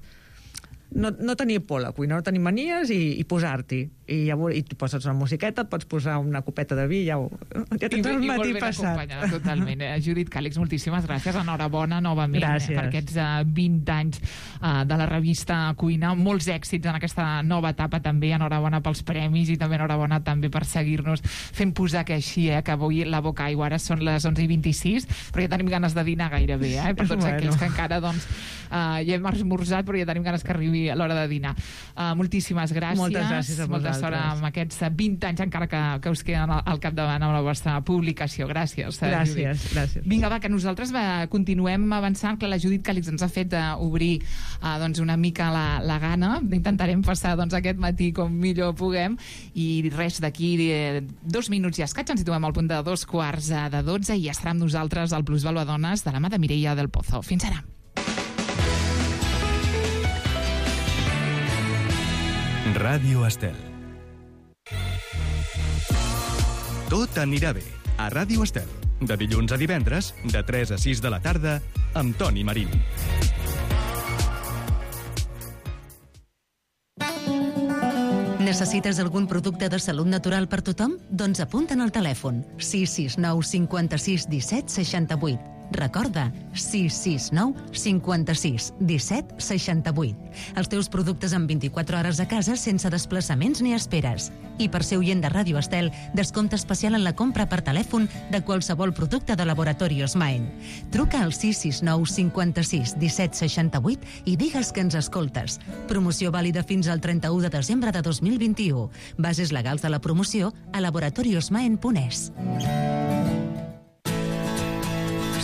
Speaker 10: No, no tenir por a la cuina, no tenir manies i, i posar-t'hi. I, ja, I tu poses una musiqueta, et pots posar una copeta de vi, ja, ho, ja tens el matí passat.
Speaker 9: Totalment. Eh? Judit Càlix, moltíssimes gràcies. Enhorabona novament
Speaker 10: gràcies.
Speaker 9: per aquests uh, vint anys uh, de la revista Cuina. Molts èxits en aquesta nova etapa també. Enhorabona pels premis i també enhorabona també per seguir-nos fent posar que així, eh, que avui la boca aigua. Ara són les onze i vint-i-sis, però ja tenim ganes de dinar gairebé, eh? Per tots bueno. aquells que encara doncs, uh, ja hem esmorzat, però ja tenim ganes que arribi a l'hora de dinar. Uh, moltíssimes gràcies.
Speaker 10: Moltes gràcies a vosaltres.
Speaker 9: Molta sort amb aquests vint anys, encara que, que us queden al, al capdavant amb la vostra publicació. Gràcies.
Speaker 10: Gràcies,
Speaker 9: Judit.
Speaker 10: gràcies.
Speaker 9: Vinga, va, que nosaltres va, continuem avançant, que la Judit Càlix ens ha fet uh, obrir uh, doncs una mica la, la gana. Intentarem passar doncs, aquest matí com millor puguem. I res, d'aquí eh, dos minuts i escaig ens situem al punt de dos quarts de dotze i estarà amb nosaltres el Plusvalua Dones de la mà de Mireia del Pozo. Fins ara.
Speaker 1: Ràdio Estel. Tot anirà bé a Ràdio Estel. De dilluns a divendres, de tres a sis de la tarda, amb Toni Marín.
Speaker 8: Necessites algun producte de salut natural per tothom? Doncs apunta'n al telèfon sis sis nou cinquanta-sis disset seixanta-vuit. Recorda, sis sis nou cinquanta-sis disset seixanta-vuit. Els teus productes en vint-i-quatre hores a casa sense desplaçaments ni esperes. I per ser oient de Ràdio Estel, descompte especial en la compra per telèfon de qualsevol producte de Laboratorios Maen. Truca al sis sis nou cinquanta-sis disset seixanta-vuit i digues que ens escoltes. Promoció vàlida fins al trenta-u de desembre de dos mil vint-i-u. Bases legals de la promoció a laboratoriosmaen punt es.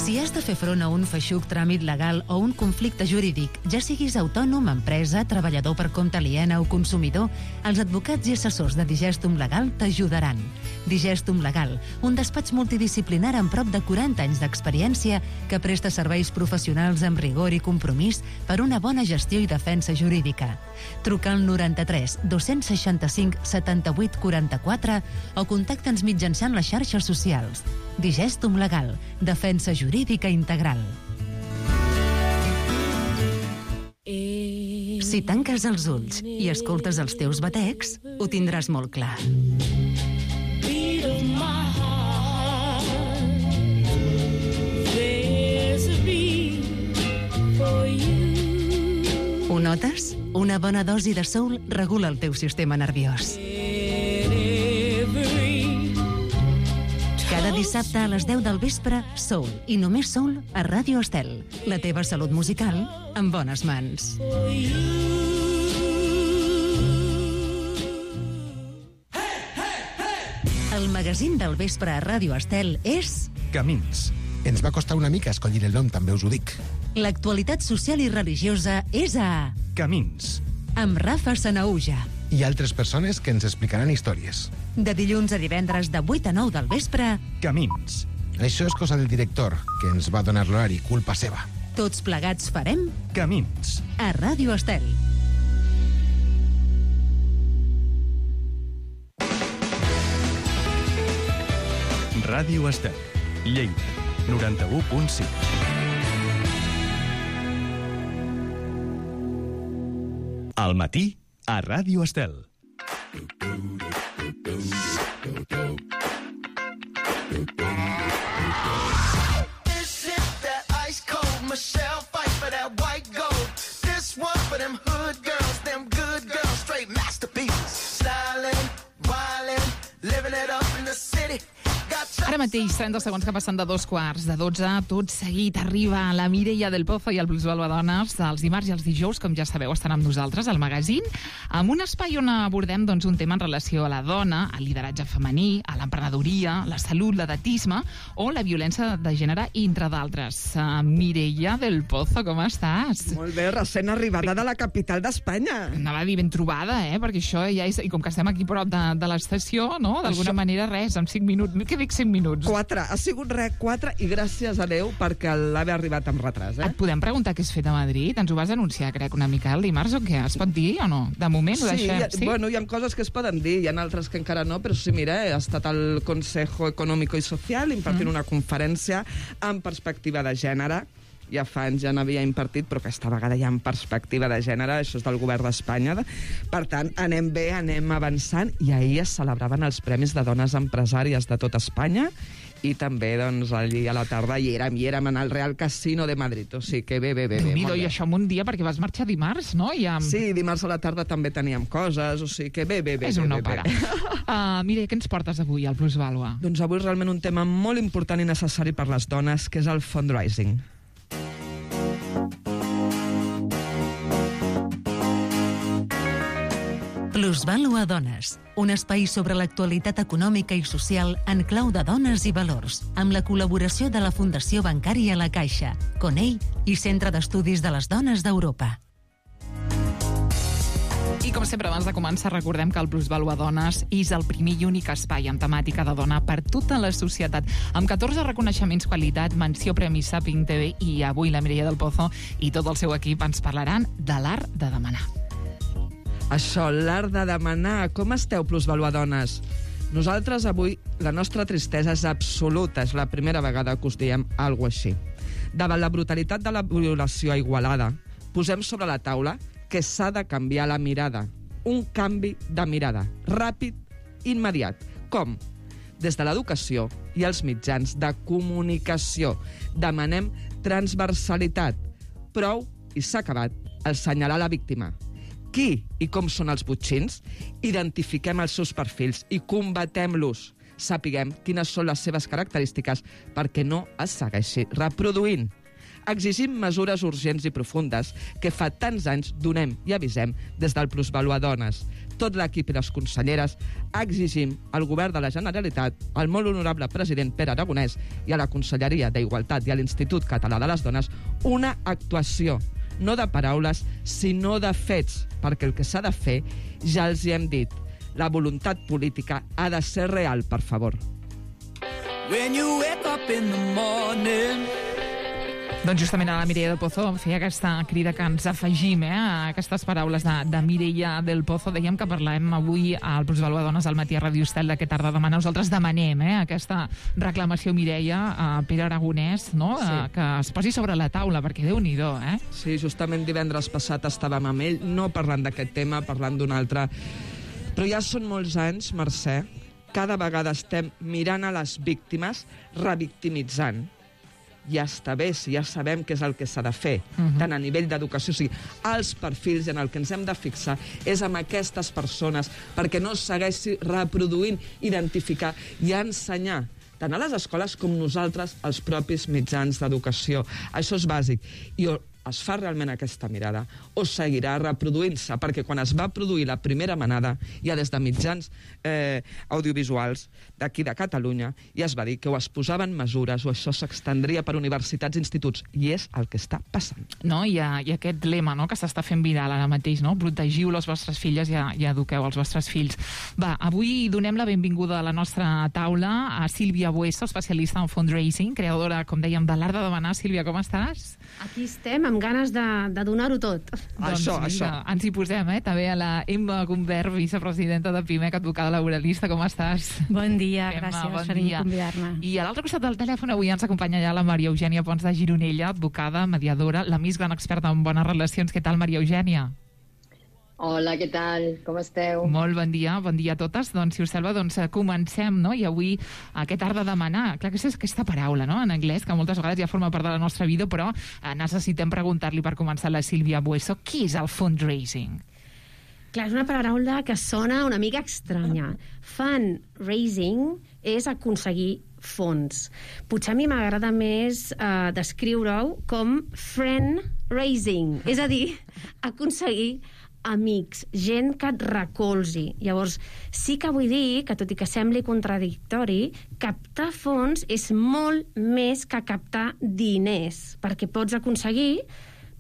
Speaker 8: Si has de fer front a un feixuc tràmit legal o un conflicte jurídic, ja siguis autònom, empresa, treballador per compte aliena o consumidor, els advocats i assessors de Digestum Legal t'ajudaran. Digestum Legal, un despatx multidisciplinar amb prop de quaranta anys d'experiència que presta serveis professionals amb rigor i compromís per una bona gestió i defensa jurídica. Truca al noranta-tres dos-cents seixanta-cinc setanta-vuit quaranta-quatre o contacta'ns mitjançant les xarxes socials. Digestum Legal, defensa jurídica integral. Si tanques els ulls i escoltes els teus batecs, ho tindràs molt clar. Ho notes? Una bona dosi de soul regula el teu sistema nerviós. Cada dissabte a les deu del vespre, Soul, i només Soul a Ràdio Estel. La teva salut musical en bones mans. magazín del vespre a Ràdio Estel és...
Speaker 1: Camins.
Speaker 11: Ens va costar una mica escollir el nom, també us ho dic.
Speaker 8: L'actualitat social i religiosa és a...
Speaker 1: Camins.
Speaker 8: Amb Rafa Sanaúja.
Speaker 11: I altres persones que ens explicaran històries.
Speaker 8: De dilluns a divendres de vuit a nou del vespre...
Speaker 1: Camins.
Speaker 11: Això és cosa del director, que ens va donar l'horari, culpa seva.
Speaker 8: Tots plegats farem...
Speaker 1: Camins.
Speaker 8: A Ràdio Estel.
Speaker 1: Ràdio Estel. Lleida. noranta-u punt cinc. Al matí, a Ràdio Estel.
Speaker 12: Michelle fight for that white gold. This one for them hood girls, them good girls, straight masterpieces. Styling, wildin', living it up in the city.
Speaker 9: Ara mateix, trenta segons que passen de dos quarts de dotze, tot seguit arriba la Mireia del Pozo i el Plusvalua Dones. Els dimarts i els dijous, com ja sabeu, estan amb nosaltres al magazín, amb un espai on abordem doncs, un tema en relació a la dona, al lideratge femení, a l'emprenedoria, la salut, l'edatisme o la violència de gènere, entre d'altres. Uh, Mireia del Pozo, com estàs?
Speaker 13: Molt bé, recent arribada de la capital d'Espanya.
Speaker 9: Anava a dir ben trobada, eh? Perquè això ja és... I com que estem aquí prop de, de l'estació, no? D'alguna això... manera, res, en cinc minuts... Què dic cinc minuts?
Speaker 13: Quatre. Ha sigut res, quatre, i gràcies a Déu perquè l'haver arribat amb retras, eh?
Speaker 9: Et podem preguntar què has fet a Madrid? Ens ho vas anunciar, crec, una mica el dimarts o què? Es pot dir o no? De moment ho
Speaker 13: sí,
Speaker 9: deixem.
Speaker 13: Ha, sí, bueno, hi ha coses que es poden dir, hi ha altres que encara no, però sí, mira, he estat al Consejo Económico i Social impartint mm. una conferència en perspectiva de gènere. Ja fa anys ja n'havia impartit, però aquesta vegada ja en perspectiva de gènere, això és del govern d'Espanya. Per tant, anem bé, anem avançant, i ahir es celebraven els Premis de Dones Empresàries de tot Espanya, i també, doncs, allí a la tarda hi érem, hi érem en el Real Casino de Madrid, o sigui que bé, bé, bé. bé
Speaker 9: I això en un dia, perquè vas marxar dimarts, no? I amb...
Speaker 13: Sí, dimarts a la tarda també teníem coses, o sigui que bé, bé, bé.
Speaker 9: És un
Speaker 13: bé,
Speaker 9: no
Speaker 13: bé,
Speaker 9: parar. Uh, mira, què ens portes avui al Plusvalua?
Speaker 13: Doncs avui realment un tema molt important i necessari per les dones, que és el fundraising.
Speaker 8: Plusvalua Dones, un espai sobre l'actualitat econòmica i social en clau de dones i valors, amb la col·laboració de la Fundació Bancària La Caixa, Conell i Centre d'Estudis de les Dones d'Europa.
Speaker 9: I com sempre, abans de començar, recordem que el Plusvalua Dones és el primer i únic espai amb temàtica de dona per tota la societat, amb catorze reconeixements qualitat, menció Premi Saping T V, i avui la Mireia del Pozo i tot el seu equip ens parlaran de l'art de demanar.
Speaker 13: Això, l'art de demanar. Com esteu, Plusvalua Dones? Nosaltres avui, la nostra tristesa és absoluta. És la primera vegada que us diem alguna cosa així. Davant la brutalitat de la violació a Igualada, posem sobre la taula que s'ha de canviar la mirada. Un canvi de mirada. Ràpid, immediat. Com? Des de l'educació i els mitjans de comunicació. Demanem transversalitat. Prou, i s'ha acabat, assenyalar la víctima. Qui i com són els botxins, identifiquem els seus perfils i combatem-los. Sapiguem quines són les seves característiques perquè no es segueixi reproduint. Exigim mesures urgents i profundes que fa tants anys donem i avisem des del Plusvalua Dones. Tot l'equip i les conselleres exigim al govern de la Generalitat, al molt honorable president Pere Aragonès i a la Conselleria d'Igualtat i a l'Institut Català de les Dones una actuació, no de paraules, sinó de fets, perquè el que s'ha de fer ja els hi hem dit. La voluntat política ha de ser real, per favor.
Speaker 12: When you wake up in the morning...
Speaker 9: Doncs justament a la Mireia del Pozo feia aquesta crida que ens afegim eh, a aquestes paraules de, de Mireia del Pozo. Dèiem que parlem avui al Plusvalua Dones al matí a Ràdio Estel de què tarda demana. Nosaltres demanem eh, aquesta reclamació, Mireia, a Pere Aragonès, no? Sí. Eh, que es posi sobre la taula, perquè Déu-n'hi-do, eh?
Speaker 13: Sí, justament divendres passat estàvem amb ell, no parlant d'aquest tema, parlant d'un altre. Però ja són molts anys, Mercè, cada vegada estem mirant a les víctimes, revictimitzant. Ja està bé, si ja sabem què és el que s'ha de fer, uh-huh. tant a nivell d'educació, o sigui, els perfils en el que ens hem de fixar és amb aquestes persones, perquè no segueixi reproduint, identificar i ensenyar, tant a les escoles com nosaltres, els propis mitjans d'educació. Això és bàsic. I es fa realment aquesta mirada o seguirà reproduint-se? Perquè quan es va produir la primera manada, ja des de mitjans eh, audiovisuals d'aquí de Catalunya, ja es va dir que o es posaven mesures o això s'extendria per universitats i instituts, i és el que està passant.
Speaker 9: No, hi ha, hi ha aquest lema, no?, que s'està fent viral ara mateix, no? Protegiu les vostres filles i, i eduqueu els vostres fills. Va, avui donem la benvinguda a la nostra taula a Sílvia Bueso, especialista en fundraising, creadora, com dèiem, de l'art de demanar. Sílvia, com estàs?
Speaker 14: Aquí estem, amb ganes de, de donar-ho tot.
Speaker 13: Això,
Speaker 9: doncs,
Speaker 13: això.
Speaker 9: Ens hi posem, eh? També a la Emma Gumbert, vicepresidenta de PIMEC, advocada laboralista. Com estàs?
Speaker 14: Bon dia,
Speaker 9: Emma,
Speaker 14: gràcies
Speaker 9: bon
Speaker 14: per
Speaker 9: dia.
Speaker 14: convidar-me.
Speaker 9: I a l'altre costat del telèfon avui ens acompanya ja la Maria Eugènia Pons de Gironella, advocada, mediadora, la més gran experta en bones relacions. Què tal, Maria Eugènia?
Speaker 15: Hola, què tal? Com esteu?
Speaker 9: Molt bon dia, bon dia a totes. Doncs, si us sembla, doncs, comencem, no? I avui aquest art de demanar, clar que és aquesta paraula, no?, en anglès, que moltes vegades ja forma part de la nostra vida, però eh, necessitem preguntar-li per començar a la Sílvia Bueso, què és el fundraising?
Speaker 14: Clar, és una paraula que sona una mica estranya. Fundraising és aconseguir fons. Potser a mi m'agrada més eh, descriure-ho com friend raising, és a dir, aconseguir amics, gent que et recolzi. Llavors, sí que vull dir que, tot i que sembli contradictori, captar fons és molt més que captar diners, perquè pots aconseguir,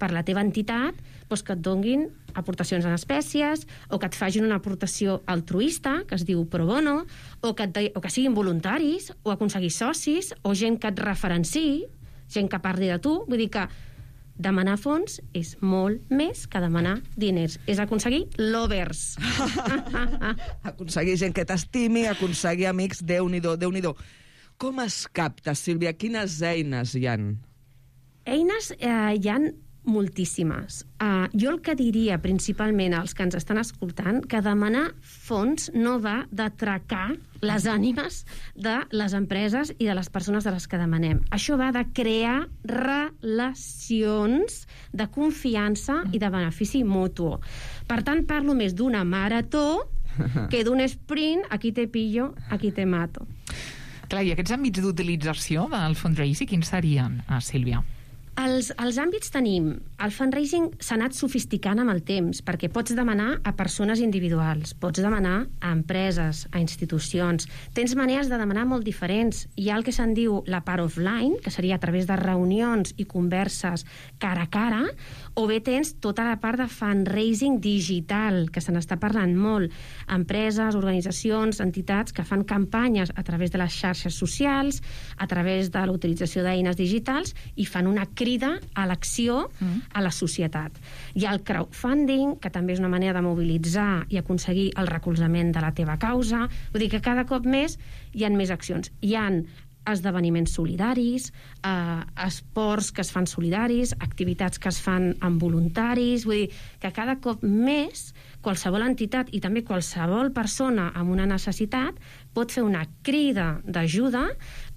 Speaker 14: per la teva entitat, doncs que et donguin aportacions en espècies, o que et facin una aportació altruista, que es diu pro bono, o que, et, o que siguin voluntaris, o aconseguir socis, o gent que et referenciï, gent que parli de tu. Vull dir que demanar fons és molt més que demanar diners. És aconseguir lovers.
Speaker 13: Aconseguir gent que t'estimi, aconseguir amics, Déu-n'hi-do, Déu-n'hi-do. Com es capta, Sílvia? Quines eines hi han?
Speaker 14: Eines eh, hi han moltíssimes. Uh, jo el que diria principalment als que ens estan escoltant, que demanar fons no va d'atracar les ànimes de les empreses i de les persones de les que demanem. Això va de crear relacions de confiança i de benefici mutu. Per tant, parlo més d'una marató que d'un sprint, aquí te pillo, aquí te mato.
Speaker 9: Clar, i aquests àmbits d'utilització del fundraising, quins serien, ah, Sílvia?
Speaker 14: Els, els àmbits tenim... El fundraising s'ha anat sofisticant amb el temps, perquè pots demanar a persones individuals, pots demanar a empreses, a institucions. Tens maneres de demanar molt diferents. Hi ha el que se'n diu la part offline, que seria a través de reunions i converses cara a cara, o bé tens tota la part de fundraising digital, que se n'està parlant molt. Empreses, organitzacions, entitats que fan campanyes a través de les xarxes socials, a través de la utilització d'eines digitals, i fan una crida a l'acció a la societat. Hi ha el crowdfunding, que també és una manera de mobilitzar i aconseguir el recolzament de la teva causa. Vull dir que cada cop més hi ha més accions. Hi ha esdeveniments solidaris, eh, esports que es fan solidaris, activitats que es fan amb voluntaris. Vull dir que cada cop més qualsevol entitat i també qualsevol persona amb una necessitat pot fer una crida d'ajuda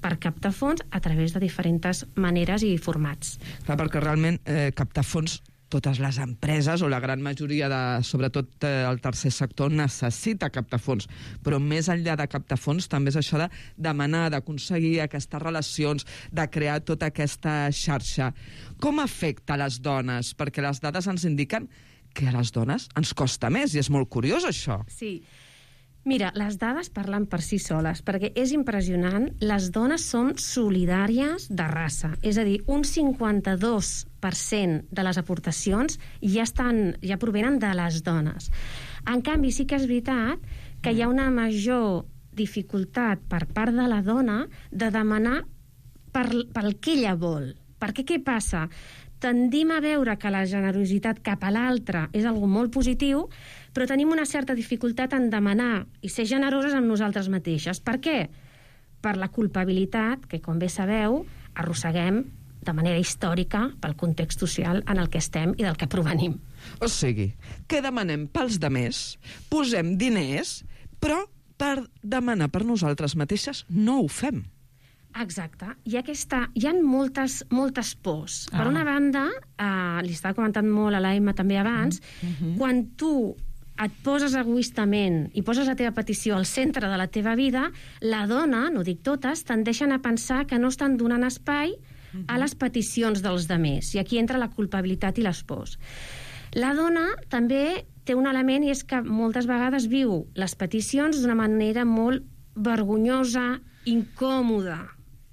Speaker 14: per captar fons a través de diferents maneres i formats.
Speaker 13: Clar, perquè realment eh, captar fons totes les empreses, o la gran majoria, de, sobretot eh, el tercer sector, necessita captar fons. Però més enllà de captar fons, també és això de demanar, d'aconseguir aquestes relacions, de crear tota aquesta xarxa. Com afecta a les dones? Perquè les dades ens indiquen que a les dones ens costa més, i és molt curiós això.
Speaker 14: Sí. Mira, les dades parlen per si soles, perquè és impressionant. Les dones són solidàries de raça. És a dir, un cinquanta-dos per cent de les aportacions ja, estan, ja provenen de les dones. En canvi, sí que és veritat que hi ha una major dificultat per part de la dona de demanar per, pel que ella vol. Perquè què passa? Tendim a veure que la generositat cap a l'altre és algo molt positiu, però tenim una certa dificultat en demanar i ser generoses amb nosaltres mateixes. Per què? Per la culpabilitat que, com bé sabeu, arrosseguem de manera històrica pel context social en el que estem i del que provenim.
Speaker 13: O sigui, què demanem pels demés? Posem diners, però per demanar per nosaltres mateixes no ho fem.
Speaker 14: Exacte. Hi ha, aquesta, hi ha moltes, moltes pors. Ah. Per una banda, eh, li estava comentant molt a l'Emma també abans, mm-hmm. quan tu et poses egoistament i poses la teva petició al centre de la teva vida, la dona, no dic totes, tendeixen a pensar que no estan donant espai a les peticions dels demés. I aquí entra la culpabilitat i l'espòs. La dona també té un element, i és que moltes vegades viu les peticions d'una manera molt vergonyosa, incòmoda,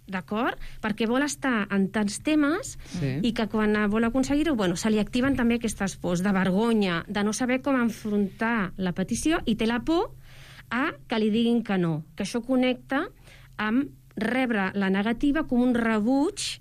Speaker 14: d'acord? Perquè vol estar en tants temes sí. i que quan vol aconseguir-ho, bueno, se li activen també aquestes pors de vergonya, de no saber com enfrontar la petició, i té la por a que li diguin que no, que això connecta amb rebre la negativa com un rebuig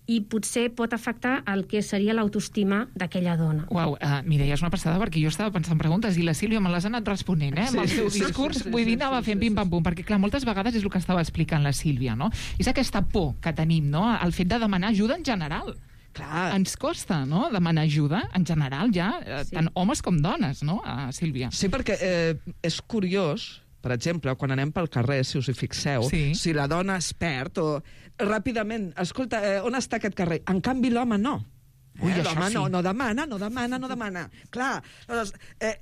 Speaker 14: i potser pot afectar el que seria l'autoestima d'aquella dona.
Speaker 9: Uau, uh, Mireia, és una passada, perquè jo estava pensant preguntes i la Sílvia me les ha anat responent, eh? Amb el seu discurs, vull dir, anava fent pim-pam-pum, perquè, clar, moltes vegades és el que estava explicant la Sílvia, no? És aquesta por que tenim, no?, el fet de demanar ajuda en general. Clar. Ens costa, no?, demanar ajuda, en general, ja, sí. tant homes com dones, no, uh, Sílvia?
Speaker 13: Sí, perquè eh, és curiós. Per exemple, quan anem pel carrer, si us hi fixeu, sí. si la dona es perd o ràpidament, escolta, eh, on està aquest carrer? En canvi, l'home no.
Speaker 9: Ui,
Speaker 13: eh,
Speaker 9: això
Speaker 13: l'home
Speaker 9: sí.
Speaker 13: no, no demana, no demana, no demana. Clar, doncs, eh,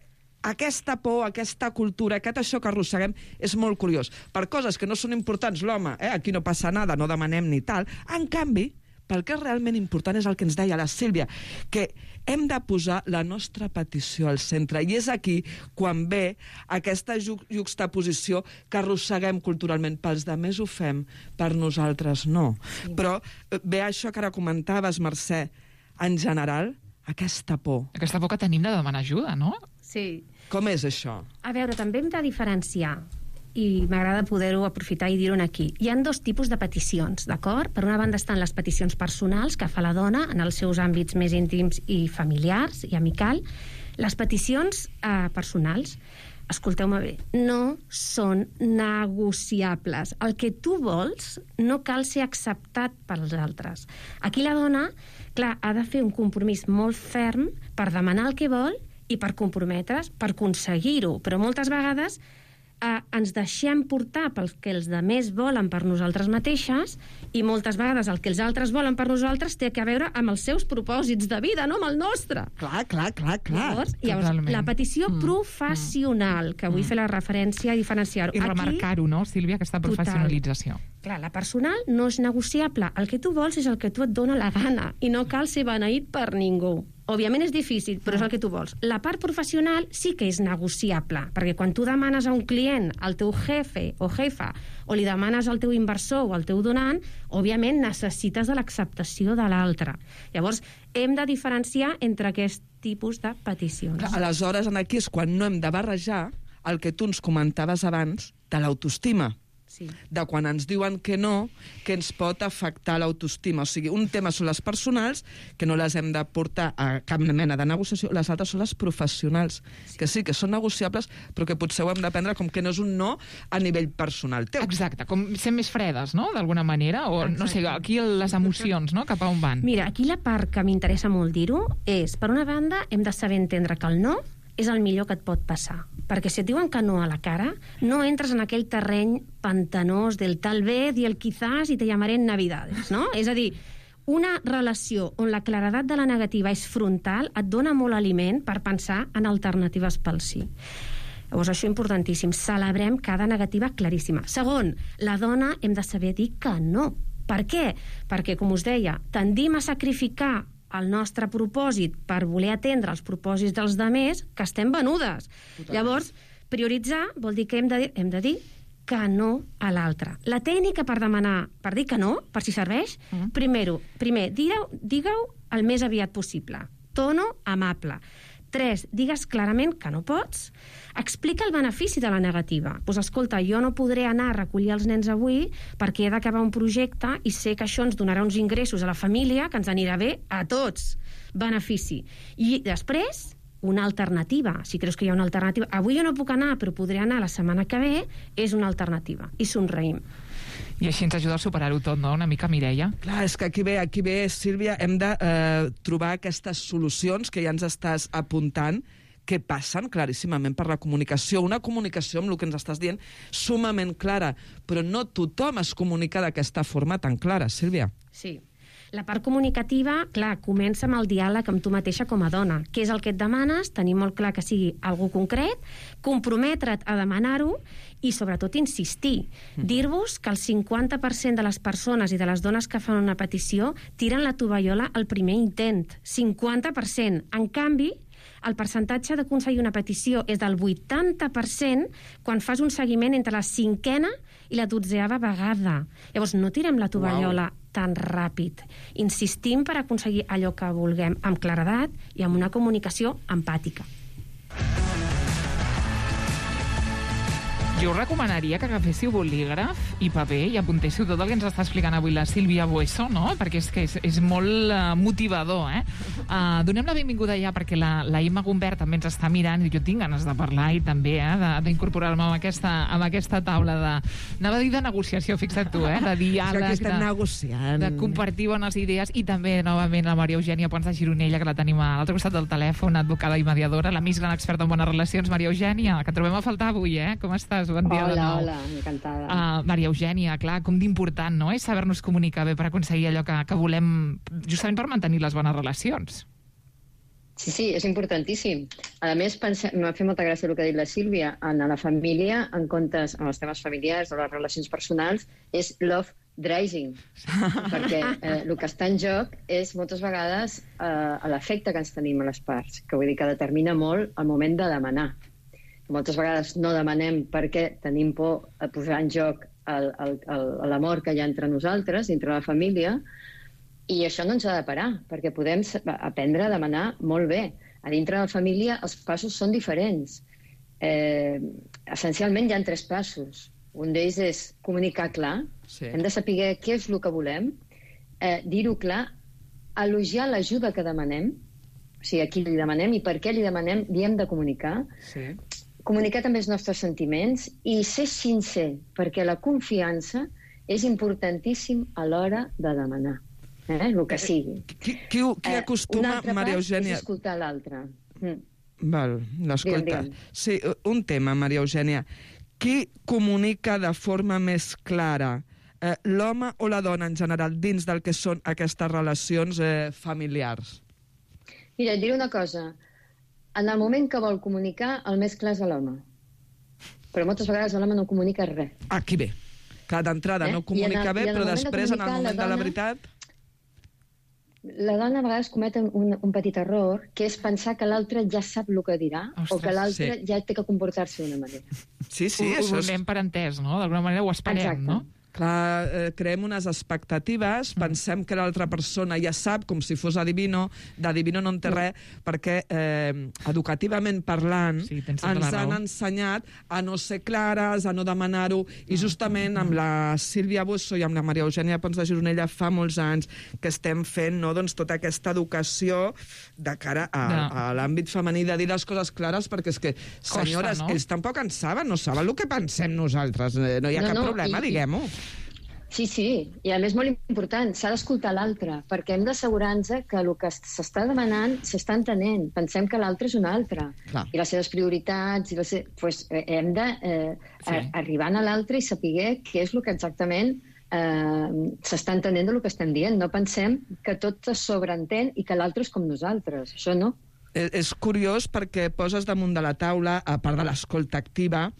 Speaker 13: aquesta por, aquesta cultura, aquest això que arrosseguem és molt curiós. Per coses que no són importants, l'home, eh, aquí no passa nada, no demanem ni tal. En canvi, pel que és realment important és el que ens deia la Sílvia, que hem de posar la nostra petició al centre. I és aquí quan ve aquesta ju juxtaposició que arrosseguem culturalment. Pels demés ho fem, per nosaltres no. Sí. Però ve això que ara comentaves, Mercè, en general, aquesta por.
Speaker 9: Aquesta por que tenim de demanar ajuda, no?
Speaker 14: Sí.
Speaker 13: Com és això?
Speaker 14: A veure, també hem de diferenciar, i m'agrada poder-ho aprofitar i dir-ho aquí. Hi ha dos tipus de peticions, d'acord? Per una banda estan les peticions personals que fa la dona en els seus àmbits més íntims i familiars i amical. Les peticions eh, personals, escolteu-me bé, no són negociables. El que tu vols no cal ser acceptat pels altres. Aquí la dona, clar, ha de fer un compromís molt ferm per demanar el que vol i per comprometre's, per aconseguir-ho. Però moltes vegades eh, ens deixem portar pel que els demés volen per nosaltres mateixes, i moltes vegades el que els altres volen per nosaltres té a veure amb els seus propòsits de vida, no amb el nostre.
Speaker 13: Clar, clar, clar, clar.
Speaker 14: Llavors, llavors la petició mm. professional, que vull mm. fer la referència a diferenciar-ho.
Speaker 9: I remarcar-ho, no, Sílvia, aquesta professionalització.
Speaker 14: Total. Clar, la personal no és negociable. El que tu vols és el que tu et dona la gana, i no cal ser beneït per ningú. Òbviament és difícil, però és el que tu vols. La part professional sí que és negociable, perquè quan tu demanes a un client, al teu jefe o jefa, o li demanes al teu inversor o al teu donant, òbviament necessites de l'acceptació de l'altre. Llavors, hem de diferenciar entre aquest tipus de peticions.
Speaker 13: Clar, aleshores, aquí és quan no hem de barrejar el que tu ens comentaves abans de l'autoestima.
Speaker 14: Sí.
Speaker 13: De quan ens diuen que no, que ens pot afectar l'autoestima. O sigui, un tema són les personals, que no les hem de portar a cap mena de negociació, les altres són les professionals, sí. que sí, que són negociables, però que potser ho hem de prendre com que no és un no a nivell personal teu.
Speaker 9: Exacte, com ser més fredes, no?, d'alguna manera, o Exacte. no sé, aquí les emocions, no?, cap a on van.
Speaker 14: Mira, aquí la part que m'interessa molt dir-ho és, per una banda, hem de saber entendre que el no és el millor que et pot passar. Perquè si et diuen que no a la cara, no entres en aquell terreny pantanós del tal vez i el quizás i te llamaré en Navidades, no? És a dir, una relació on la claredat de la negativa és frontal et dona molt aliment per pensar en alternatives pel sí. Llavors, això és importantíssim. Celebrem cada negativa claríssima. Segon, la dona hem de saber dir que no. Per què? Perquè, com us deia, tendim a sacrificar el nostre propòsit per voler atendre els propòsits dels demés, que estem venudes. Totalment. Llavors, prioritzar vol dir que hem de, hem de dir que no a l'altre. La tècnica per demanar, per dir que no, per si serveix, uh-huh. primero, primer, digue-ho digue el més aviat possible. Tono amable. Tres, digues clarament que no pots. Explica el benefici de la negativa. Pues escolta, jo no podré anar a recollir els nens avui perquè he d'acabar un projecte i sé que això ens donarà uns ingressos a la família que ens anirà bé a tots. Benefici. I després, una alternativa. Si creus que hi ha una alternativa. Avui jo no puc anar, però podré anar la setmana que ve, és una alternativa. I somreïm.
Speaker 9: I així ens ajuda a superar-ho tot, no?, una mica, Mireia?
Speaker 13: Clar, és que aquí ve, aquí ve, Sílvia, hem de eh, trobar aquestes solucions que ja ens estàs apuntant, que passen claríssimament per la comunicació. Una comunicació, amb el que ens estàs dient, sumament clara, però no tothom es comunica d'aquesta forma tan clara, Sílvia.
Speaker 14: Sí. La part comunicativa, clar, comença amb el diàleg amb tu mateixa com a dona. Què és el que et demanes? Tenir molt clar que sigui algú concret, comprometre't a demanar-ho i, sobretot, insistir. Mm. Dir-vos que el cinquanta per cent de les persones i de les dones que fan una petició tiren la tovallola al primer intent. cinquanta per cent. En canvi, el percentatge d'aconseguir una petició és del vuitanta per cent quan fas un seguiment entre la cinquena i la dotzeava vegada. Llavors, no tirem la tovallola wow. tan ràpid. Insistim per aconseguir allò que vulguem amb claredat i amb una comunicació empàtica.
Speaker 9: Jo us recomanaria que agaféssiu bolígraf i paper i apuntéssiu tot el que ens està explicant avui la Sílvia Bueso, no? Perquè és que és, és molt uh, motivador, eh? Uh, donem la benvinguda ja perquè la, la Imma Gumbert també ens està mirant i jo tinc ganes de parlar i també eh, d'incorporar-me amb aquesta, amb aquesta taula de... Anava a dir de negociació, fixa't tu, eh? De diàleg,
Speaker 13: de, negociant.
Speaker 9: de compartir bones idees i també, novament, la Maria Eugènia Pons de Gironella, que la tenim a l'altre costat del telèfon, advocada i mediadora, la més gran experta en bones relacions, Maria Eugènia, que trobem a faltar avui, eh? Com estàs? Bon dia
Speaker 15: hola,
Speaker 9: de nou.
Speaker 15: Hola, encantada.
Speaker 9: Uh, Maria Eugènia, clar, com d'important, no?, és saber-nos comunicar bé per aconseguir allò que, que volem, justament per mantenir les bones relacions.
Speaker 15: Sí, sí, és importantíssim. A més, m'ha fet molta gràcia el que ha dit la Sílvia. En la família, en comptes, en els temes familiars o les relacions personals, és love driving. Perquè eh, el que està en joc és moltes vegades eh, l'efecte que ens tenim a les parts, que vull dir que determina molt el moment de demanar. Moltes vegades no demanem perquè tenim por a posar en joc l'amor que hi ha entre nosaltres, entre la família, i això no ens ha de parar, perquè podem aprendre a demanar molt bé. A dintre de la família els passos són diferents. Eh, essencialment hi ha tres passos. Un d'ells és comunicar clar, sí. Hem de saber què és el que volem, eh, dir-ho clar, elogiar l'ajuda que demanem, o sigui, a qui li demanem i per què li demanem, li hem de comunicar, sí. Comunicar també els nostres sentiments i ser sincer, perquè la confiança és importantíssim a l'hora de demanar, eh? El que sigui.
Speaker 13: Qui, qui, qui acostuma,
Speaker 15: eh,
Speaker 13: Maria Eugènia...
Speaker 15: És escoltar l'altre. Mm.
Speaker 13: Val, l'escolta. Sí, un tema, Maria Eugènia. Qui comunica de forma més clara, eh, l'home o la dona en general, dins del que són aquestes relacions eh, familiars?
Speaker 15: Mira, et diré una cosa. En el moment que vol comunicar, el més clar és l'home. Però moltes vegades l'home no comunica res.
Speaker 13: Aquí bé. Que d'entrada eh? no comunica el, bé, però després, de en el moment la dona, de la veritat...
Speaker 15: La dona a vegades comet un, un petit error, que és pensar que l'altre ja sap el que dirà, Ostres, o que l'altre sí. ja té que comportar-se d'una manera.
Speaker 9: Sí, sí, ho, això ho donem és... per entès, no? D'alguna manera ho esperem, Exacte. no?
Speaker 13: Clar, eh, creem unes expectatives, mm. pensem que l'altra persona ja sap, com si fos adivino, d'adivino no en té res, perquè eh, educativament parlant sí, ens han ensenyat a no ser clares, a no demanar-ho, i justament amb la Sílvia Bueso i amb la Maria Eugènia Pons de Gironella fa molts anys que estem fent no, doncs, tota aquesta educació de cara a, no. a l'àmbit femení, de dir les coses clares, perquè és que, senyores, Costa, no? ells tampoc en saben, no saben el que pensem nosaltres, no hi ha no, cap no, problema, i... diguem-ho.
Speaker 15: Sí, sí, i a més molt important, s'ha d'escoltar l'altre, perquè hem d'assegurar-nos que el que s'està demanant s'està entenent. Pensem que l'altre és un altre, Clar. i les seves prioritats, i les seves... pues, eh, hem d'arribar eh, sí. a l'altre i saber què és el que exactament eh, s'està entenent del que estem dient. No pensem que tot es sobreentén i que l'altre és com nosaltres, això no.
Speaker 13: És curiós perquè poses damunt de la taula, a part de l'escolta activa,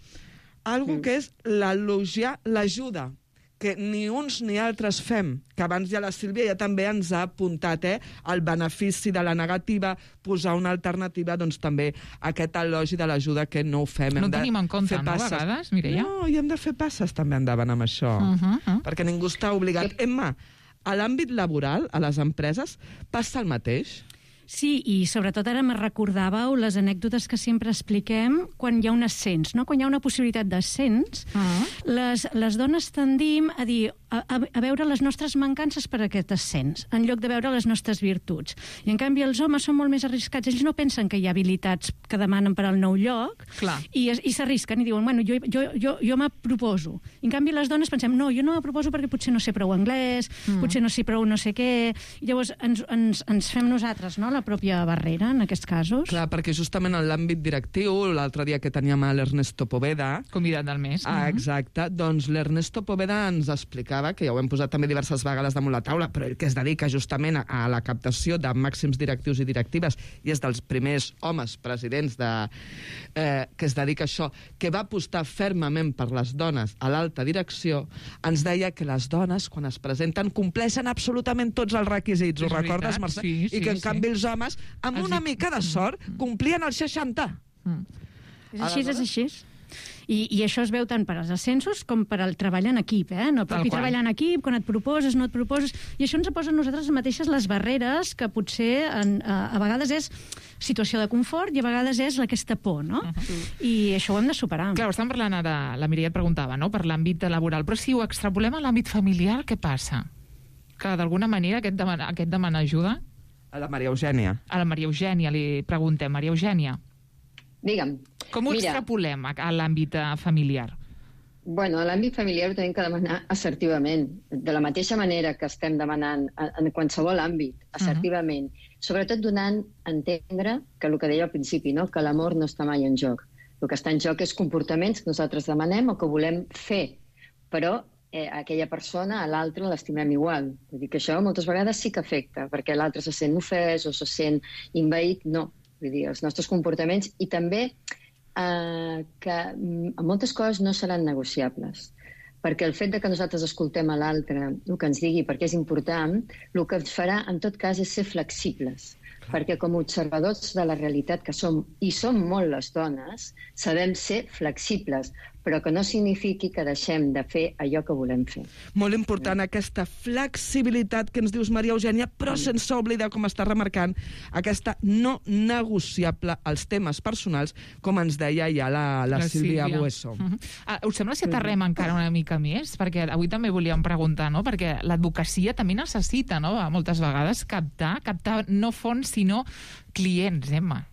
Speaker 13: algo mm. que és l'elogiar l'ajuda, que ni uns ni altres fem, que abans ja la Sílvia ja també ens ha apuntat, eh, el benefici de la negativa, posar una alternativa, doncs també aquest elogi de l'ajuda que no ho fem.
Speaker 9: No
Speaker 13: hem
Speaker 9: de tenim en compte, no, a vegades, Mireia?
Speaker 13: No, i hem de fer passes també endavant amb això, uh -huh, uh -huh. perquè ningú està obligat. Emma, a l'àmbit laboral, a les empreses, passa el mateix?
Speaker 16: Sí, i sobretot ara me recordàveu les anècdotes que sempre expliquem quan hi ha un ascens, no? Quan hi ha una possibilitat d'ascens, uh-huh. les, les dones tendim a dir a, a veure les nostres mancances per aquest ascens, en lloc de veure les nostres virtuts. I, en canvi, els homes són molt més arriscats. Ells no pensen que hi ha habilitats que demanen per al nou lloc Clar. i, i s'arrisquen i diuen, bueno, jo, jo, jo, jo me proposo. I, en canvi, les dones pensem, no, jo no me proposo perquè potser no sé prou anglès, uh-huh. potser no sé prou no sé què. I llavors ens, ens, ens fem nosaltres, no?, la pròpia barrera en aquests casos.
Speaker 13: Clar, perquè justament en l'àmbit directiu, l'altre dia que teníem a l'Ernesto Poveda...
Speaker 9: Convidat del mes.
Speaker 13: Ah, exacte. Doncs l'Ernesto Poveda ens explicava, que ja ho hem posat també diverses vegades damunt la taula, però ell que es dedica justament a, a la captació de màxims directius i directives i és dels primers homes presidents de, eh, que es dedica a això, que va apostar fermament per les dones a l'alta direcció, ens deia que les dones, quan es presenten, compleixen absolutament tots els requisits. Ho recordes, Mercè?
Speaker 9: Sí, sí,
Speaker 13: I que, en
Speaker 9: sí.
Speaker 13: canvi, els homes, amb
Speaker 9: Els
Speaker 13: una
Speaker 9: hi-
Speaker 13: mica de sort, complien els seixanta.
Speaker 9: Mm.
Speaker 16: És així, és així. I, I això es veu tant per als ascensos com per al treball en equip, eh? No per
Speaker 9: Tal
Speaker 16: qui
Speaker 9: qual.
Speaker 16: treballa en equip, quan et proposes, no et proposes... I això ens posa a nosaltres mateixes les barreres que potser en, a, a vegades és situació de confort i a vegades és aquesta por, no? Uh -huh. I això ho hem de superar.
Speaker 9: Clar, estem parlant ara, la Mireia et preguntava, no?, per l'àmbit laboral, però si ho extrapolem a l'àmbit familiar, què passa? Que d'alguna manera aquest demana, aquest demana ajuda?
Speaker 13: A la Maria Eugènia.
Speaker 9: A la Maria Eugènia li preguntem. Maria Eugènia,
Speaker 15: Digue'm.
Speaker 9: com ho
Speaker 15: Mira,
Speaker 9: extrapolem a, a l'àmbit eh, familiar?
Speaker 15: Bueno, a l'àmbit familiar ho tenim que demanar assertivament, de la mateixa manera que estem demanant en qualsevol àmbit, assertivament, uh-huh. sobretot donant a entendre que el que deia al principi, no? Que l'amor no està mai en joc. El que està en joc és comportaments que nosaltres demanem o que volem fer, però eh, aquella persona, a l'altre, l'estimem igual. Vull dir que això moltes vegades sí que afecta, perquè l'altre se sent ofès o se sent invaït. No, vull dir, els nostres comportaments i també Uh, que mm, moltes coses no seran negociables, perquè el fet de que nosaltres escoltem a l'altre el que ens digui perquè és important, el que ens farà en tot cas és ser flexibles, perquè com a observadors de la realitat que som, i som molt les dones, sabem ser flexibles, però que no signifiqui que deixem de fer allò que volem fer.
Speaker 13: Molt important aquesta flexibilitat que ens dius, Maria Eugènia, però sense oblidar, com està remarcant, aquesta no negociable als temes personals, com ens deia ja la, la, la Sílvia Bueso.
Speaker 9: Uh -huh. uh, us sembla si aterrem encara una mica més? Perquè avui també volíem preguntar, no?, perquè l'advocacia també necessita, no?, moltes vegades captar, captar no fons, sinó clients, Emma.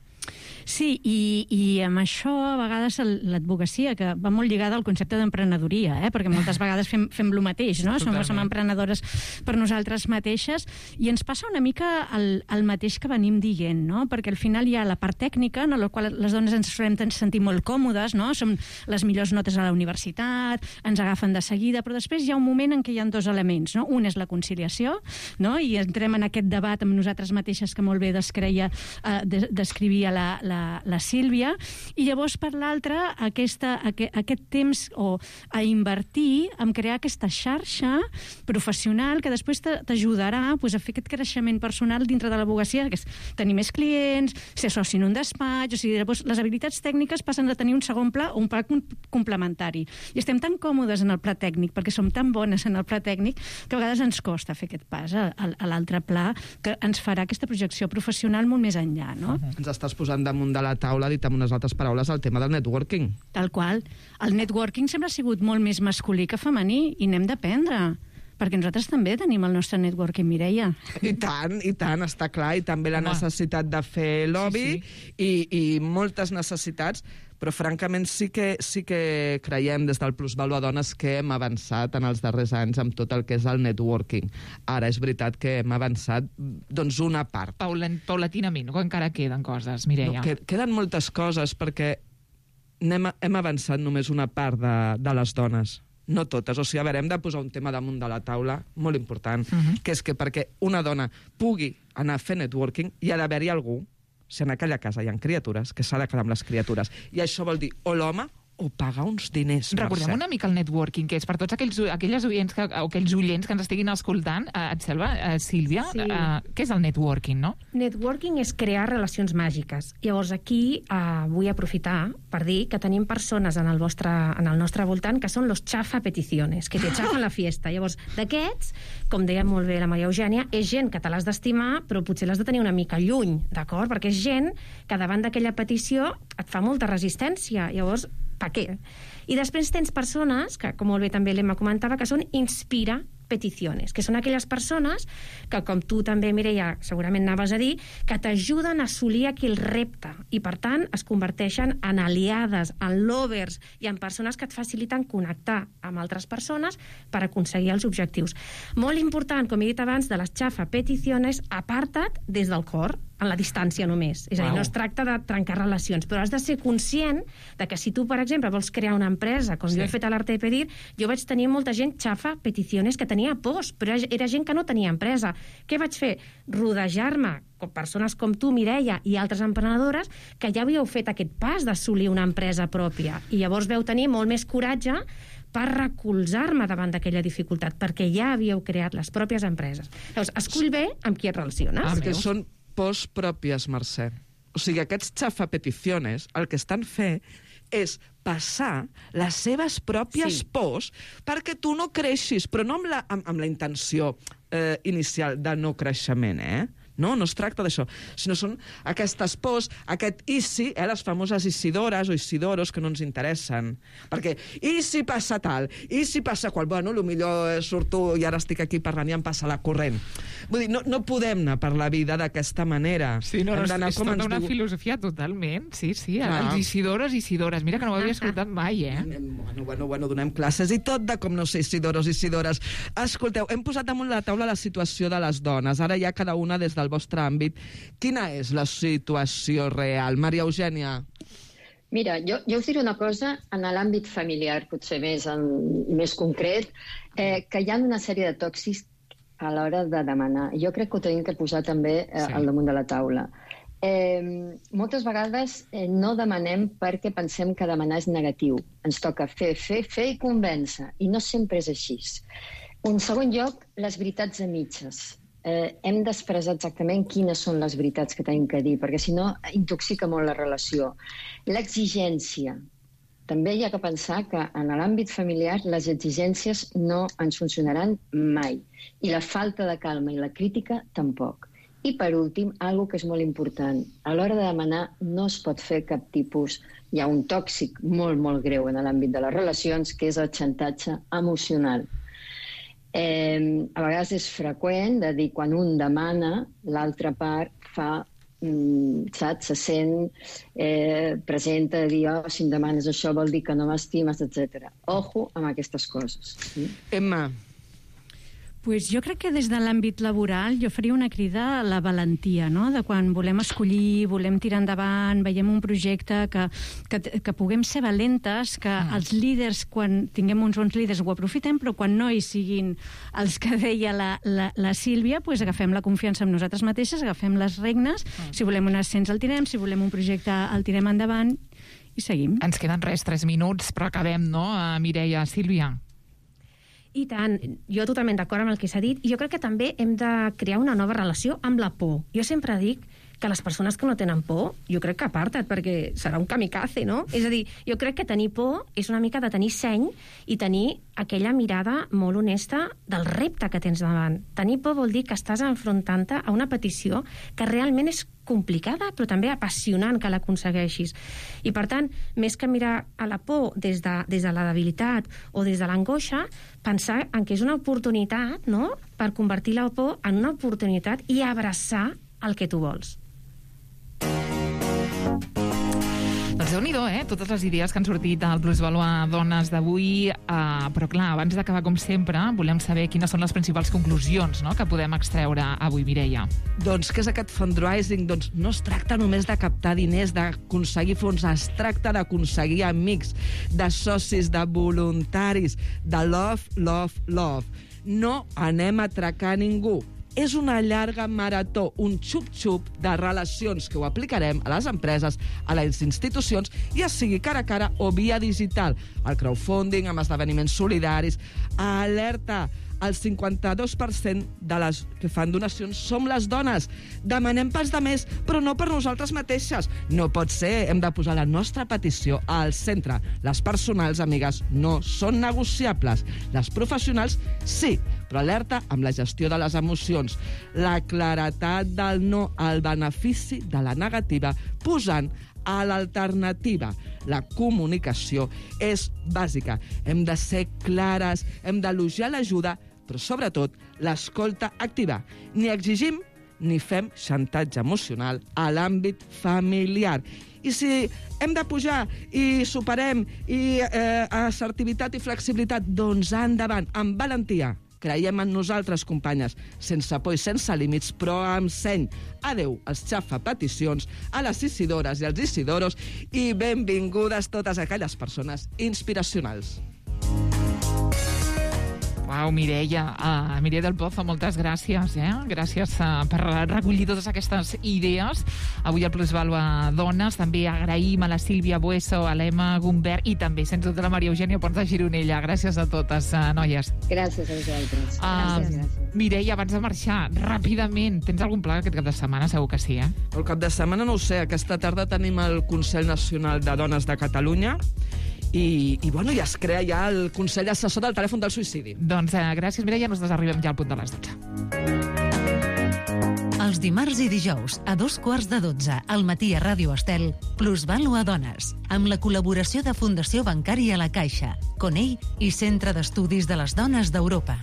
Speaker 16: Sí, i, i amb això a vegades l'advocacia, que va molt lligada al concepte d'emprenedoria, eh? Perquè moltes vegades fem, fem el mateix, no? Som, som emprenedores per nosaltres mateixes, i ens passa una mica el, el mateix que venim dient, no? Perquè al final hi ha la part tècnica, en la qual les dones ens solem sentir molt còmodes, no? Som les millors notes a la universitat, ens agafen de seguida, però després hi ha un moment en què hi ha dos elements, no? Un és la conciliació, no? I entrem en aquest debat amb nosaltres mateixes que molt bé descreia, eh, des, descrivia la, la La, la Sílvia, i llavors per l'altra aquesta, aquest, aquest temps o a invertir en crear aquesta xarxa professional que després t'ajudarà pues, a fer aquest creixement personal dintre de l'advocacia, que és tenir més clients, ser soci en un despatx, o sigui, llavors les habilitats tècniques passen de tenir un segon pla o un pla complementari. I estem tan còmodes en el pla tècnic, perquè som tan bones en el pla tècnic, que a vegades ens costa fer aquest pas a, a, a l'altre pla, que ens farà aquesta projecció professional molt més enllà, no?
Speaker 13: Uh-huh. Ens estàs posant damunt de la taula, dit amb unes altres paraules, el tema del networking.
Speaker 16: Tal qual. El networking sempre ha sigut molt més masculí que femení i n'hem d'aprendre, perquè nosaltres també tenim el nostre networking, Mireia.
Speaker 13: I tant, i tant, està clar, i també la Home. necessitat de fer lobby, sí, sí. I, i moltes necessitats, però francament sí que, sí que creiem des del Plusvalua Dones que hem avançat en els darrers anys amb tot el que és el networking. Ara és veritat que hem avançat doncs una part.
Speaker 9: Paula, paulatinament, o encara queden coses, Mireia?
Speaker 13: No, que, queden moltes coses perquè hem, hem avançat només una part de, de les dones. No totes. O sigui, a veure, hem de posar un tema damunt de la taula molt important, uh -huh. que és que perquè una dona pugui anar a fer networking hi ha d'haver-hi algú, si en aquella casa hi ha criatures, que s'ha de quedar amb les criatures. I això vol dir o l'home o pagar uns diners.
Speaker 9: Recordem
Speaker 13: Mercè.
Speaker 9: una mica el networking, que és per tots aquells, aquelles oients que, o aquells oients que ens estiguin escoltant. Eh, et sembla, eh, Sílvia?
Speaker 14: Sí.
Speaker 9: Eh, què és el networking, no?
Speaker 14: Networking és crear relacions màgiques. Llavors aquí eh, vull aprofitar per dir que tenim persones en el, vostre, en el nostre voltant que són los chafa peticiones, que te chafan la fiesta. Llavors, d'aquests, com deia molt bé la Maria Eugènia, és gent que te l'has d'estimar, però potser l'has de tenir una mica lluny, d'acord? Perquè és gent que davant d'aquella petició et fa molta resistència. Llavors, per què? I després tens persones, que com molt bé també l'Emma comentava, que són inspira peticiones, que són aquelles persones que, com tu també, Mireia, segurament anaves a dir, que t'ajuden a assolir aquell repte i, per tant, es converteixen en aliades, en lovers i en persones que et faciliten connectar amb altres persones per aconseguir els objectius. Molt important, com he dit abans, de les xafa peticiones, aparta't des del cor. en la distància només. És a dir,
Speaker 9: Wow.
Speaker 14: no es tracta de trencar relacions, però has de ser conscient de que si tu, per exemple, vols crear una empresa, com
Speaker 9: Sí.
Speaker 14: jo he fet a l'Arte de Pedir, jo vaig tenir molta gent xafa peticions que tenia pors, però era gent que no tenia empresa. Què vaig fer? Rodejar-me com persones com tu, Mireia, i altres emprenedores que ja havíeu fet aquest pas d'assolir una empresa pròpia. I llavors veu tenir molt més coratge per recolzar-me davant d'aquella dificultat, perquè ja havíeu creat les pròpies empreses. Llavors, escull bé amb qui et relaciones.
Speaker 13: Perquè són pors pròpies, Mercè. O sigui, aquests xafapeticiones el que estan fent és passar les seves pròpies
Speaker 14: Sí.
Speaker 13: pors perquè tu no creixis, però no amb la, amb, amb la intenció eh, inicial de no creixement, eh? No, no es tracta d'això, sinó són aquestes pors, aquest i si, eh, les famoses isidores o isidoros que no ens interessen. Perquè, i si passa tal, i si passa qual, bueno, potser surto i ara estic aquí parlant i em passa la corrent. Vull dir, no, no podem anar per la vida d'aquesta manera.
Speaker 9: Sí, no, no,
Speaker 13: Hem
Speaker 9: és,
Speaker 13: d'anar
Speaker 9: és
Speaker 13: com
Speaker 9: tota
Speaker 13: ens
Speaker 9: una
Speaker 13: diu-
Speaker 9: filosofia totalment. Sí, sí,
Speaker 13: Ah.
Speaker 9: els Isidores, Isidores. Mira que no ho havia escoltat mai, eh?
Speaker 13: Bueno, bueno, bueno, donem classes i tot de com no sé, Isidoros i Isidores. Escolteu, hem posat damunt la taula la situació de les dones. Ara ja cada una des del vostre àmbit. Quina és la situació real? Maria Eugènia.
Speaker 15: Mira, jo, jo us diré una cosa en l'àmbit familiar, potser més, en, més concret, eh, que hi ha una sèrie de tòxics a l'hora de demanar. Jo crec que ho tenim que posar també eh,
Speaker 17: Sí.
Speaker 15: al damunt de la taula. Eh, moltes vegades eh, no demanem perquè pensem que demanar és negatiu. Ens toca fer, fer, fer i convèncer. I no sempre és així. En segon lloc, les veritats a mitges. Eh, hem d'expressar exactament quines són les veritats que tenim que dir, perquè si no intoxica molt la relació. L'exigència. També hi ha que pensar que en l'àmbit familiar les exigències no ens funcionaran mai. I la falta de calma i la crítica tampoc. I per últim, algo que és molt important. A l'hora de demanar no es pot fer cap tipus... Hi ha un tòxic molt, molt greu en l'àmbit de les relacions, que és el xantatge emocional. Eh, a vegades és freqüent de dir quan un demana, l'altra part fa, mm, saps, se sent, eh, presenta de dir, oh, si em demanes això vol dir que no m'estimes, etcètera. Ojo amb aquestes coses.
Speaker 13: Emma.
Speaker 16: Pues jo crec que des de l'àmbit laboral jo faria una crida a la valentia, no? De quan volem escollir, volem tirar endavant, veiem un projecte que, que, que puguem ser valentes, que mm. els líders, quan tinguem uns bons líders, ho aprofitem, però quan no hi siguin els que deia la, la, la Sílvia, pues agafem la confiança en nosaltres mateixes, agafem les regnes, mm. si volem un ascens el tirem, si volem un projecte el tirem endavant i seguim.
Speaker 9: Ens queden res, tres minuts, però acabem, no, Mireia, Sílvia?
Speaker 14: I tant, jo totalment d'acord amb el que s'ha dit, i jo crec que també hem de crear una nova relació amb la por. Jo sempre dic que les persones que no tenen por, jo crec que aparta't, perquè serà un kamikaze, no? És a dir, jo crec que tenir por és una mica de tenir seny i tenir aquella mirada molt honesta del repte que tens davant. Tenir por vol dir que estàs enfrontant-te a una petició que realment és complicada, però també apassionant que l'aconsegueixis. I, per tant, més que mirar a la por des de, des de la debilitat o des de l'angoixa, pensar en que és una oportunitat, no?, per convertir la por en una oportunitat i abraçar el que tu vols.
Speaker 9: Doncs Déu-n'hi-do, eh? Totes les idees que han sortit al Plusvalua Dones d'avui, eh, però clar, abans d'acabar com sempre, volem saber quines són les principals conclusions, no?, que podem extreure avui, Mireia.
Speaker 13: Doncs què és aquest fundraising? Doncs no es tracta només de captar diners, d'aconseguir fons, es tracta d'aconseguir amics, de socis, de voluntaris, de love, love, love. No anem a atracar ningú. És una llarga marató, un xup-xup de relacions que ho aplicarem a les empreses, a les institucions, ja sigui cara a cara o via digital. El crowdfunding, amb esdeveniments solidaris. Alerta! El cinquanta-dos per cent de les que fan donacions som les dones. Demanem pels demés, però no per nosaltres mateixes. No pot ser, hem de posar la nostra petició al centre. Les personals, amigues, no són negociables. Les professionals, sí, però alerta amb la gestió de les emocions. La claretat del no al benefici de la negativa, posant a l'alternativa. La comunicació és bàsica. Hem de ser clares, hem d'elogiar l'ajuda, però sobretot l'escolta activa. Ni exigim ni fem xantatge emocional a l'àmbit familiar. I si hem de pujar i superem i eh, assertivitat i flexibilitat, doncs endavant, amb valentia, Creiem en nosaltres, companyes, sense por i sense límits, però amb seny. Adeu als xafapeticions, a les isidores i als isidoros, i benvingudes totes aquelles persones inspiracionals.
Speaker 9: Uau, Mireia, uh, Mireia del Pozo, moltes gràcies, eh? Gràcies uh, per recollir totes aquestes idees. Avui al Plusvalua Dones, també agraïm a la Sílvia Bueso, a l'Emma Gumbert i també, sens dubte, a la Maria Eugènia Pons de Gironella. Gràcies a totes, uh, noies.
Speaker 15: Gràcies a vosaltres.
Speaker 9: Uh,
Speaker 15: gràcies, gràcies.
Speaker 9: Mireia, abans de marxar, ràpidament, tens algun pla aquest cap de setmana? Segur que sí, eh?
Speaker 13: El cap de setmana no ho sé. Aquesta tarda tenim el Consell Nacional de Dones de Catalunya i, i, bueno, ja es crea ja el Consell Assessor del Telèfon del Suïcidi.
Speaker 9: Doncs eh, gràcies, Mireia. Nosaltres arribem ja al punt de les dotze.
Speaker 8: Els dimarts i dijous, a dos quarts de dotze, al matí a Ràdio Estel, Plusvalua Dones, amb la col·laboració de Fundació Bancària La Caixa, Conell i Centre d'Estudis de les Dones d'Europa.